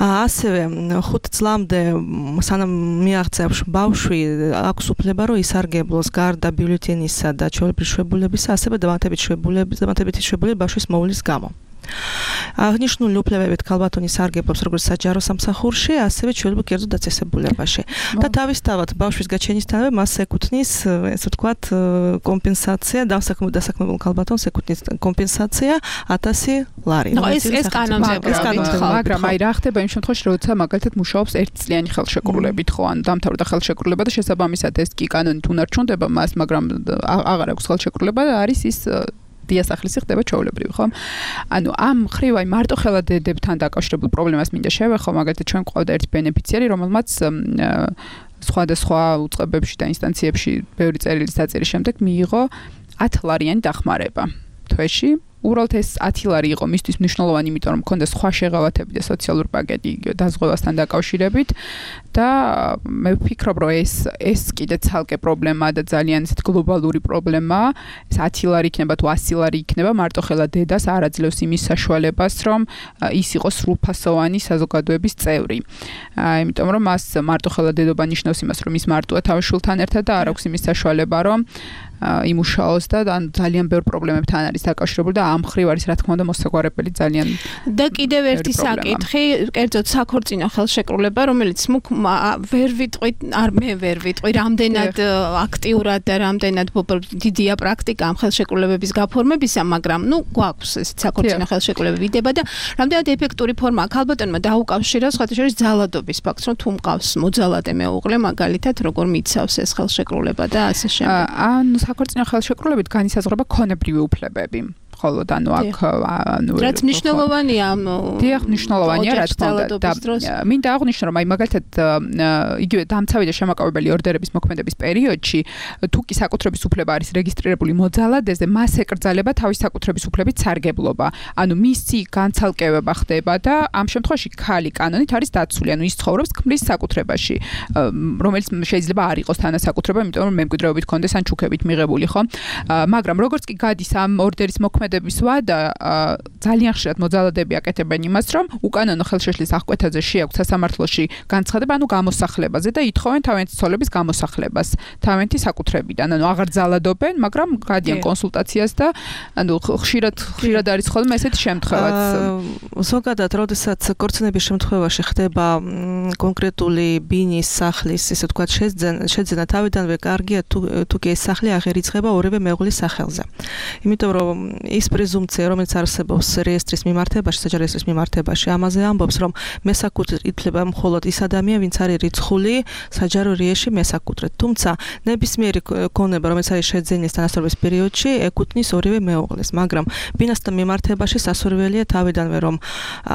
ასევე ხუთ წლამდე სანამ მიაღწევს ბავშვი, აქვს უფლება, რომ ისარგებლოს გარდა ბიულეტენისა და ჩვეულებრივი შვებულებისა, ასევე დამატებითი შვებულების, დამატებითი შვებულება ბავშვის მოვლის გამო. აღნიშნული უფლებებით ქალბატონი სარგებლობს როგორც საჯარო სამსახურში, ასევე ჩვეულებრივ კერძო დაწესებულებაში. და თავისთავად ბავშვის გაჩენისთანავე მას ეკუთვნის, ესე ვთქვათ, კომპენსაცია, დასაქმებულ ქალბატონს ეკუთვნის კომპენსაცია ათასი ლარი. ნუ ეს ეს კანონმდებლობით, მაგრამ აი რა ხდება იმ შემთხვევაში, როცა მაგალითად მუშაობს ერთწლიანი ხელშეკრულებით, ხო, ან დამთავრდა ხელშეკრულება და შესაბამისად ეს კი კანონით უნარჩუნდება მას, მაგრამ აღარ აქვს ხელშეკრულება და არის ის დიასახლისი ხდება ჩვეულებრივი, ხო? ანუ ამ ხრივ აი მარტო ხელად დედებთან დაკავშირებულ პრობლემას მინდა შევეხო, მაგალითად ჩვენ ყავდა ერთი ბენეფიციარი, რომელმაც სხვადასხვა უწყებებში და ინსტანციებში ბევრი წერილის დაწერის შემდეგ მიიღო ათლარიანი დახმარება თვეში. უბრალოდ ეს ათი ლარი იყო მისთვის მნიშვნელოვანი, იმიტომ რომ მქონდა სხვა შეღავათები და სოციალური პაკეტი დაზღვევასთან დაკავშირებით და მე ვფიქრობ, რომ ეს ეს კიდე ცალკე პრობლემაა და ძალიან ისეთ გლობალური პრობლემაა. ეს ათი ლარი იქნება თუ ასი ლარი იქნება, მარტო ხელა დედას არ აძლევს იმის საშუალებას, რომ ის იყოს სრულფასოვანი საზოგადოების წევრი. იმიტომ რომ მას მარტო ხელა დედობა ნიშნავს იმას, რომ ის მარტოა თავის შვილთან ერთად და არ აქვს იმის საშუალება, რომ იმუშაოს და ძალიან ბევრ პრობლემებთან არის დაკავშირებული და ამ ხრივ არის რა თქმა უნდა მოსაგვარებელი ძალიან და კიდევ ერთი საკითხი, კერძოდ საქორწინო ხელშეკრულება, რომელიც მუქ ვერ ვიტყვი, არ მე ვერ ვიტყვი, რამდენად აქტიურად და რამდენად დიდია პრაქტიკა ამ ხელშეკრულებების გაფორმებისა, მაგრამ ნუ გვაქვს ეს საქორწინო ხელშეკრულება ვიდება და რამდენად ეფექტური ფორმაა ქალბატონმა დაუკავშირა სხვათა შორის ძალადობის ფაქტს, რომ თუ მყავს მოძალადე მეუღლე, მაგალითად როგორ მიცავს ეს ხელშეკრულება და ასე შემდეგ. ანუ საქორწინო ხელშეკრულებით განისაზღვრება ქონებრივი უფლებები. ხოლო და ანუ აქ ანუ რაც მნიშვნელოვანია დიახ მნიშვნელოვანია რა თქმა უნდა და მინდა აღვნიშნო რომ აი მაგალითად იგივე დამცავი და შემაკავებელი ორდერების მოქმედების პერიოდში თუ კი საკუთრების უფლება არის რეგისტრირებული მოძალადეზე მას ეკრძალება თავის საკუთრების უფლებით სარგებლობა ანუ მისი განცალკევება ხდება და ამ შემთხვევაში ქალი კანონით არის დაცული ანუ ის ცხოვრობს ქმრის საკუთრებაში რომელიც შეიძლება არ იყოს თანასაკუთრება იმიტომ რომ მემკვიდრეობით კონდეს ან ჩუქებით მიღებული ხო მაგრამ როგორც კი გადის ამ ორდერის მოქმედების ვადა ძალიან ხშირად მოძალადები აკეთებენ იმას რომ უკანონო ხელშეშლის აღკვეთაზე შეაქვთ სასამართლოში განცხადება ანუ გამოსახლებაზე და ითხოვენ თავიანთი ცოლების გამოსახლებას თავიანთი საკუთრებიდან ანუ აღარ ძალადობენ მაგრამ გადიან კონსულტაციას და ანუ ხშირად ხშირად არის ხოლმე ესეთი შემთხვევაც ზოგადად როდესაც კორწინების შემთხვევაში ხდება კონკრეტული ბინის სახლის ესე ვთქვათ შეძენა თავიდანვე კარგია თუ თუ კი ეს სახლი აღარ იწყება ორივე მეუღლის სახელზე იმიტომ რომ ის პრეზუმპცია რომელიც არსებობს რეესტრის მიმართებაში საჯარო რეესტრის მიმართებაში ამაზე ამბობს რომ მესაკუთრე ითვლება მხოლოდ ის ადამიანი ვინც არის რიცხული საჯარო რეესტრი მესაკუთრედ თუმცა ნებისმიერი ქონება რომელიც არის შეძენის თანასწორობის პერიოდში ეკუთვნის ორივე მეუღლეს მაგრამ ბინასთან მიმართებაში სასურველია თავიდანვე რომ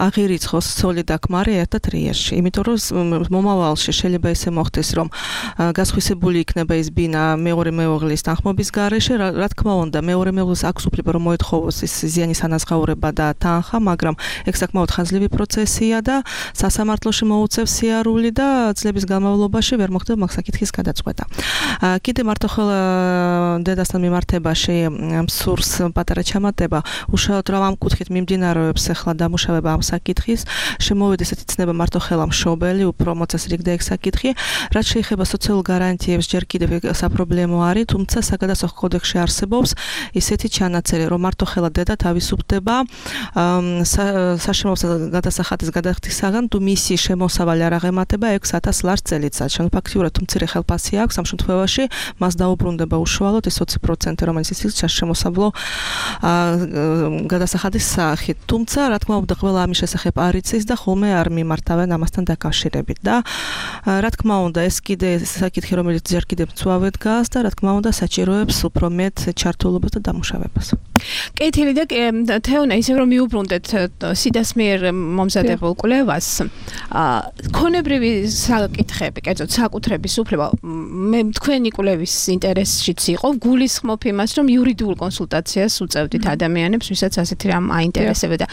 აღირიცხოს ცოლი და ქმარი ერთად რეესტრში იმიტომ რომ მომავალში შეიძლება ისე მოხდეს რომ გასხვისებული იქნება ეს ბინა მეორე მეუღლის თანხმობის გარეშე რა თქმა უნდა მეორე მეუღლის აქვს უფლება რომ მოეთხო მოითხოვოს ის ზიანის ანაზღაურება და თანხა, მაგრამ ეგ საკმაოდ ხანძლივი პროცესია და სასამართლოში მოუწევს სიარული და წლების განმავლობაში ვერ მოხდება მაგ საკითხის გადაწყვეტა. კიდე მარტოხელა დედასთან მიმართებაში მსურს პატარა ჩამატება, უშუალოდ რომ ამ კუთხით მიმდინარეობს ახლა დამუშავება ამ საკითხის, შემოვიდეს ესეთი ცნება მარტოხელა მშობელი, უფრო მოწესრიგდა ეგ საკითხი, რაც შეეხება სოციალურ გარანტიებს ჯერ კიდევ საპრობლემო არის, თუმცა საგადასახადო კოდექსში არსებობს ისეთი ჩანაწერი, რომ მარტოხელა დედა თავისუფლდება საშემოსავლო გადასახადის გადახდისაგან, თუ მისი შემოსავალი არ აღემატება ექვს ათას ლარს წელიწადში. ანუ ფაქტიურად თუ მცირე ხელფასი აქვს, ამ შემთხვევაში მას დაუბრუნდება უშუალოდ ეს ოცი პროცენტი, რომელიც ის შემოსავლო გადასახადის სახით. თუმცა, რა თქმა უნდა, ყველა ამის შესახებ არ იცის და ხოლმე არ მიმართავენ ამასთან დაკავშირებით და რა თქმა უნდა, ეს კიდე საკითხი, რომელიც ჯერ კიდევ მწვავედ დგას და რა თქმა უნდა, საჭიროებს უფრო მეტ ჩართულობას და დამუშავებას. კეთილი და თეონა, ისევ რომ მიუბრუნდეთ სიდას მიერ მომზადებულ კვლევას, ქონებრივი საკითხები, კერძოდ საკუთრების უფლება, მე თქვენი კვლევის ინტერესშიც იყო, გულისხმობ იმას, რომ იურიდიულ კონსულტაციას უწევდით ადამიანებს, ვისაც ასეთი რამ აინტერესებდა.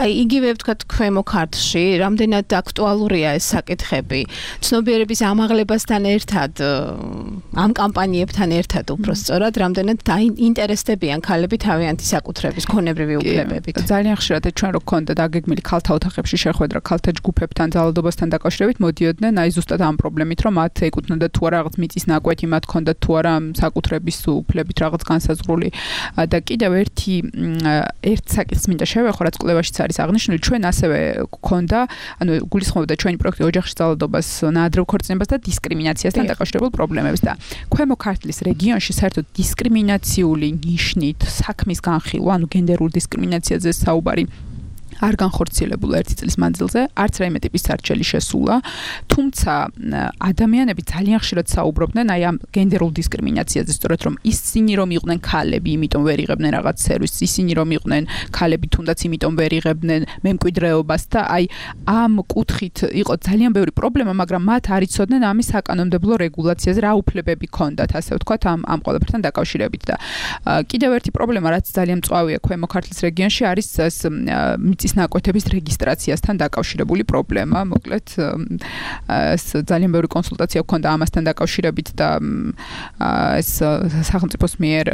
აი, იგივე ვთქვათ, ქვემო ქართლში, რამდენად აქტუალურია ეს საკითხები, ცნობიერების ამაღლებასთან ერთად, ამ კამპანიებთან ერთად უფრო სწორად, რამდენად დაინტერესდებიან ქალები თავიანთი საკუთრების ქონებრივი უფლებებით. ძალიან ხშირად ჩვენ რო გქონდა დაგეგმილი ქალთა ოთახებში შეხვედრა ქალთა ჯგუფებთან ძალადობასთან დაკავშირებით, მოდიოდნენ აი ზუსტად ამ პრობლემით, რომ მათ ეკუთვნოდა თუ არა რაღაც მიწის ნაკვეთი, მათ ჰქონდა თუ არა საკუთრების უფლებით რაღაც განსაზღვრული და კიდევ ერთი ერთ საკითხს მინდა შევეხო, რაც კვლევაშიც არის აღნიშნული, ჩვენ ასევე გქონდა, ანუ გულისხმობდა ჩვენი პროექტი ოჯახში ძალადობას, ნაადრევ ქორწინებას და დისკრიმინაციასთან დაკავშირებულ პრობლემებს და ქვემო ქართლის რეგიონში საერთოდ დისკრიმინაციული ნიშნით საქმის განხილვა, ანუ გენდერულ დისკრიმინაციაზე საუბარი არ განხორციელებულა ერთი წლის მანძილზე, არც რაიმე ტიპის სარჩელი შესულა, თუმცა ადამიანები ძალიან ხშირად საუბრობდნენ აი ამ გენდერულ დისკრიმინაციაზე, სწორედ რომ ისინი რომ იყვნენ ქალები, იმიტომ ვერ იღებდნენ რაღაც სერვისს, ისინი რომ იყვნენ ქალები, თუნდაც იმიტომ ვერ იღებდნენ მემკვიდრეობას და აი ამ კუთხით იყო ძალიან ბევრი პრობლემა, მაგრამ მათ არ იცოდნენ ამის საკანონმდებლო რეგულაციაზე, რა უფლებები ჰქონდათ, ასე ვთქვათ, ამ ამ ყველაფერთან დაკავშირებით და კიდევ ერთი პრობლემა, რაც ძალიან მწვავეა ქვემო ქართლის რეგიონში, არის ეს მიწის ნაკვეთების რეგისტრაციასთან დაკავშირებული პრობლემა. მოკლედ ეს ძალიან ბევრი კონსულტაცია გქონდა ამასთან დაკავშირებით და ეს სახელმწიფოს მიერ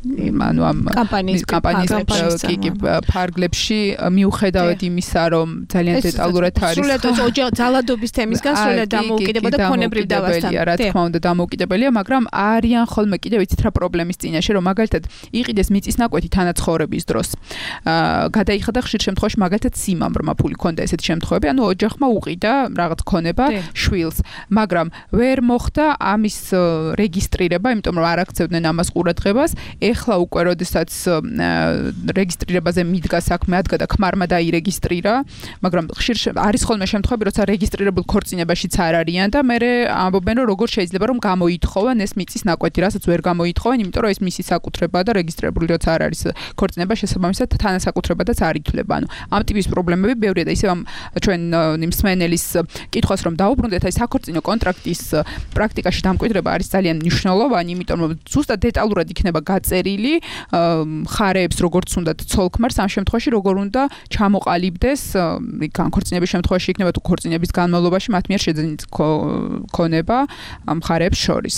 ანუ ამ კამპანიის კამპანიის კი ფარგლებში მიუხედავად იმისა, რომ ძალიან დეტალურად არის სრულად ოჯახ ძალადობის თემისგან სრულად დამოუკიდება და ქონებრივ დავასთან. რა თქმა უნდა დამოუკიდებელია, მაგრამ არიან ხოლმე კიდევ იცით რა პრობლემის წინაშე, რომ მაგალითად იყიდეს მიწის ნაკვეთი თანაცხოვრების დროს. გადაიხადა ხშირ შემთხვევაში მაგალითად სიმამრმა ფული ქონდა ესეთი შემთხვევები, ანუ ოჯახმა უყიდა რაღაც ქონება შვილს, მაგრამ ვერ მოხდა ამის რეგისტრირება, იმიტომ რომ არ აქცევდნენ ამას ყურადღებას. ეხლა უკვე როდესაც რეგისტრირებაზე მიდგა საქმე, ადგა და ქმარმა დაირეგისტრირა, მაგრამ ხშირ არის ხოლმე შემთხვევები, როცა რეგისტრირებულ ქორწინებაშიც არ არიან და მე ამბობენ, რომ როგორ შეიძლება რომ გამოითხოვენ ეს მიწის ნაკვეთი, რასაც ვერ გამოითხოვენ, იმიტომ რომ ეს მისი საკუთრებაა და რეგისტრირებული როცა არ არის ქორწინება, შესაბამისად თანასაკუთრებადაც არ ითვლება. ანუ ამ ტიპის პრობლემები ბევრია და ისევ ამ ჩვენ მსმენელის კითხვას რომ დაუბრუნდეთ, აი საქორწინო კონტრაქტის პრაქტიკაში დამკვიდრება არის ძალიან მნიშვნელოვანი, იმიტომ რომ ზუსტად დეტალურად იქნება გაწერილი მხარეებს როგორც უნდათ ცოლ-ქმარს ამ შემთხვევაში როგორ უნდა ჩამოყალიბდეს განქორწინების შემთხვევაში იქნება თუ ქორწინების განმავლობაში მათ მიერ შეძენით ქონება მხარეებს შორის.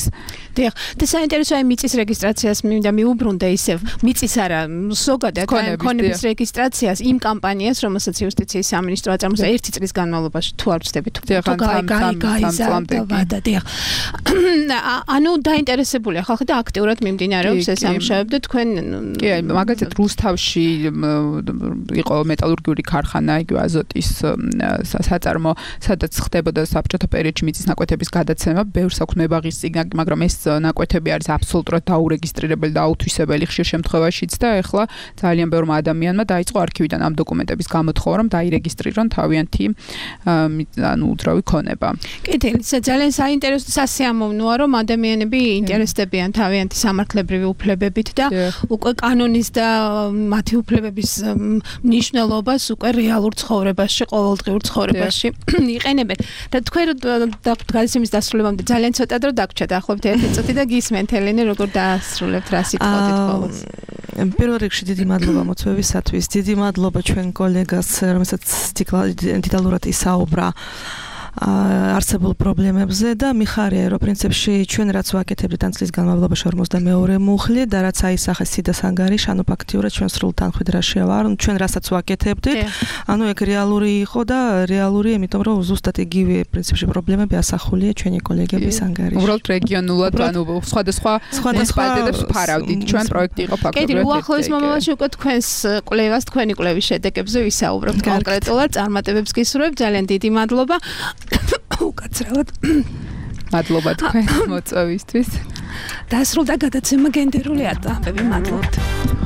დიახ, და საინტერესოა მიწის რეგისტრაციას მინდა მიუბრუნდე ისევ მიწის არა ზოგადად ქონების რეგისტრაციას იმ კამპანიას, რომელსაც იუსტიციის სამინისტრო აწარმოებს ერთი წლის განმავლობაში თუ არ ვწდები თუ გაიზარდა და დიახ. ანუ დაინტერესებულია ხალხი და აქტიურად მიმდინარეობს ეს ამშავებდა თქვენ კი მაგალითად რუსთავში იყო მეტალურგიული ქარხანა, იგივე აზოტის საწარმო, სადაც ხდებოდა საბჭოთა პერიოდში მიწის ნაკვეთების გადაცემა, ბევრ საქმეებაღის წიგნაკი, მაგრამ ეს ნაკვეთები არის აბსოლუტურად დაურეგისტრირებელი და აუთვისებელი ხშირ შემთხვევაშიც და ეხლა ძალიან ბევრმა ადამიანმა დაიწყო არქივიდან ამ დოკუმენტების გამოთხოვა, რომ დაირეგისტრირონ თავიანთი ანუ უძრავი ქონება. კეთილი, ძალიან საინტერესო სასიამოვნოა, რომ ადამიანები ინტერესდებიან თავიანთი სამართლებრივი უფლებებით მიღებით და უკვე კანონის და მათი უფლებების მნიშვნელობას უკვე რეალურ ცხოვრებაში, ყოველდღიურ ცხოვრებაში იყენებენ. და თქვენ გადაცემის დასრულებამდე ძალიან ცოტა დრო დაგვრჩა დაახლოებით ერთი წუთი და გისმენთ ელენე როგორ დაასრულებთ რა სიტყვით ყოველს. პირველ რიგში დიდი მადლობა მოწვევისათვის, დიდი მადლობა ჩვენ კოლეგას, რომელსაც დეტალურად ისაუბრა არსებულ პრობლემებზე და მიხარია რომ პრინციპში ჩვენ რაც ვაკეთებდით ამ წლის განმავლობაში ორმოცდამეორე მუხლი და რაც აისახეს სიდას ანგარიში, ანუ ფაქტიურად ჩვენ სრულ თანხმდრაში ვარ, ჩვენ რასაც ვაკეთებდით, ანუ ეგ რეალური იყო და რეალური, იმიტომ რომ ზუსტად იგივე პრინციპში პრობლემები ასახულია ჩვენი კოლეგების ანგარიში. უბრალოდ რეგიონულად, ანუ სხვადასხვა მუნიციპალიტეტებს ფარავდით, ჩვენ პროექტი იყო ფაქტობრივად. კიდევ უახლოეს მომავალში უკვე თქვენს კვლევას, თქვენი კვლევის შედეგებზე ვისაუბრებთ კონკრეტულად, წარმატებებს გისურვებთ, ძალიან დიდი მადლობა. უკაცრავად მადლობა თქვენ მოწვევისთვის. დასრულდა გადაცემა გენდერული ატამბები, მადლობთ.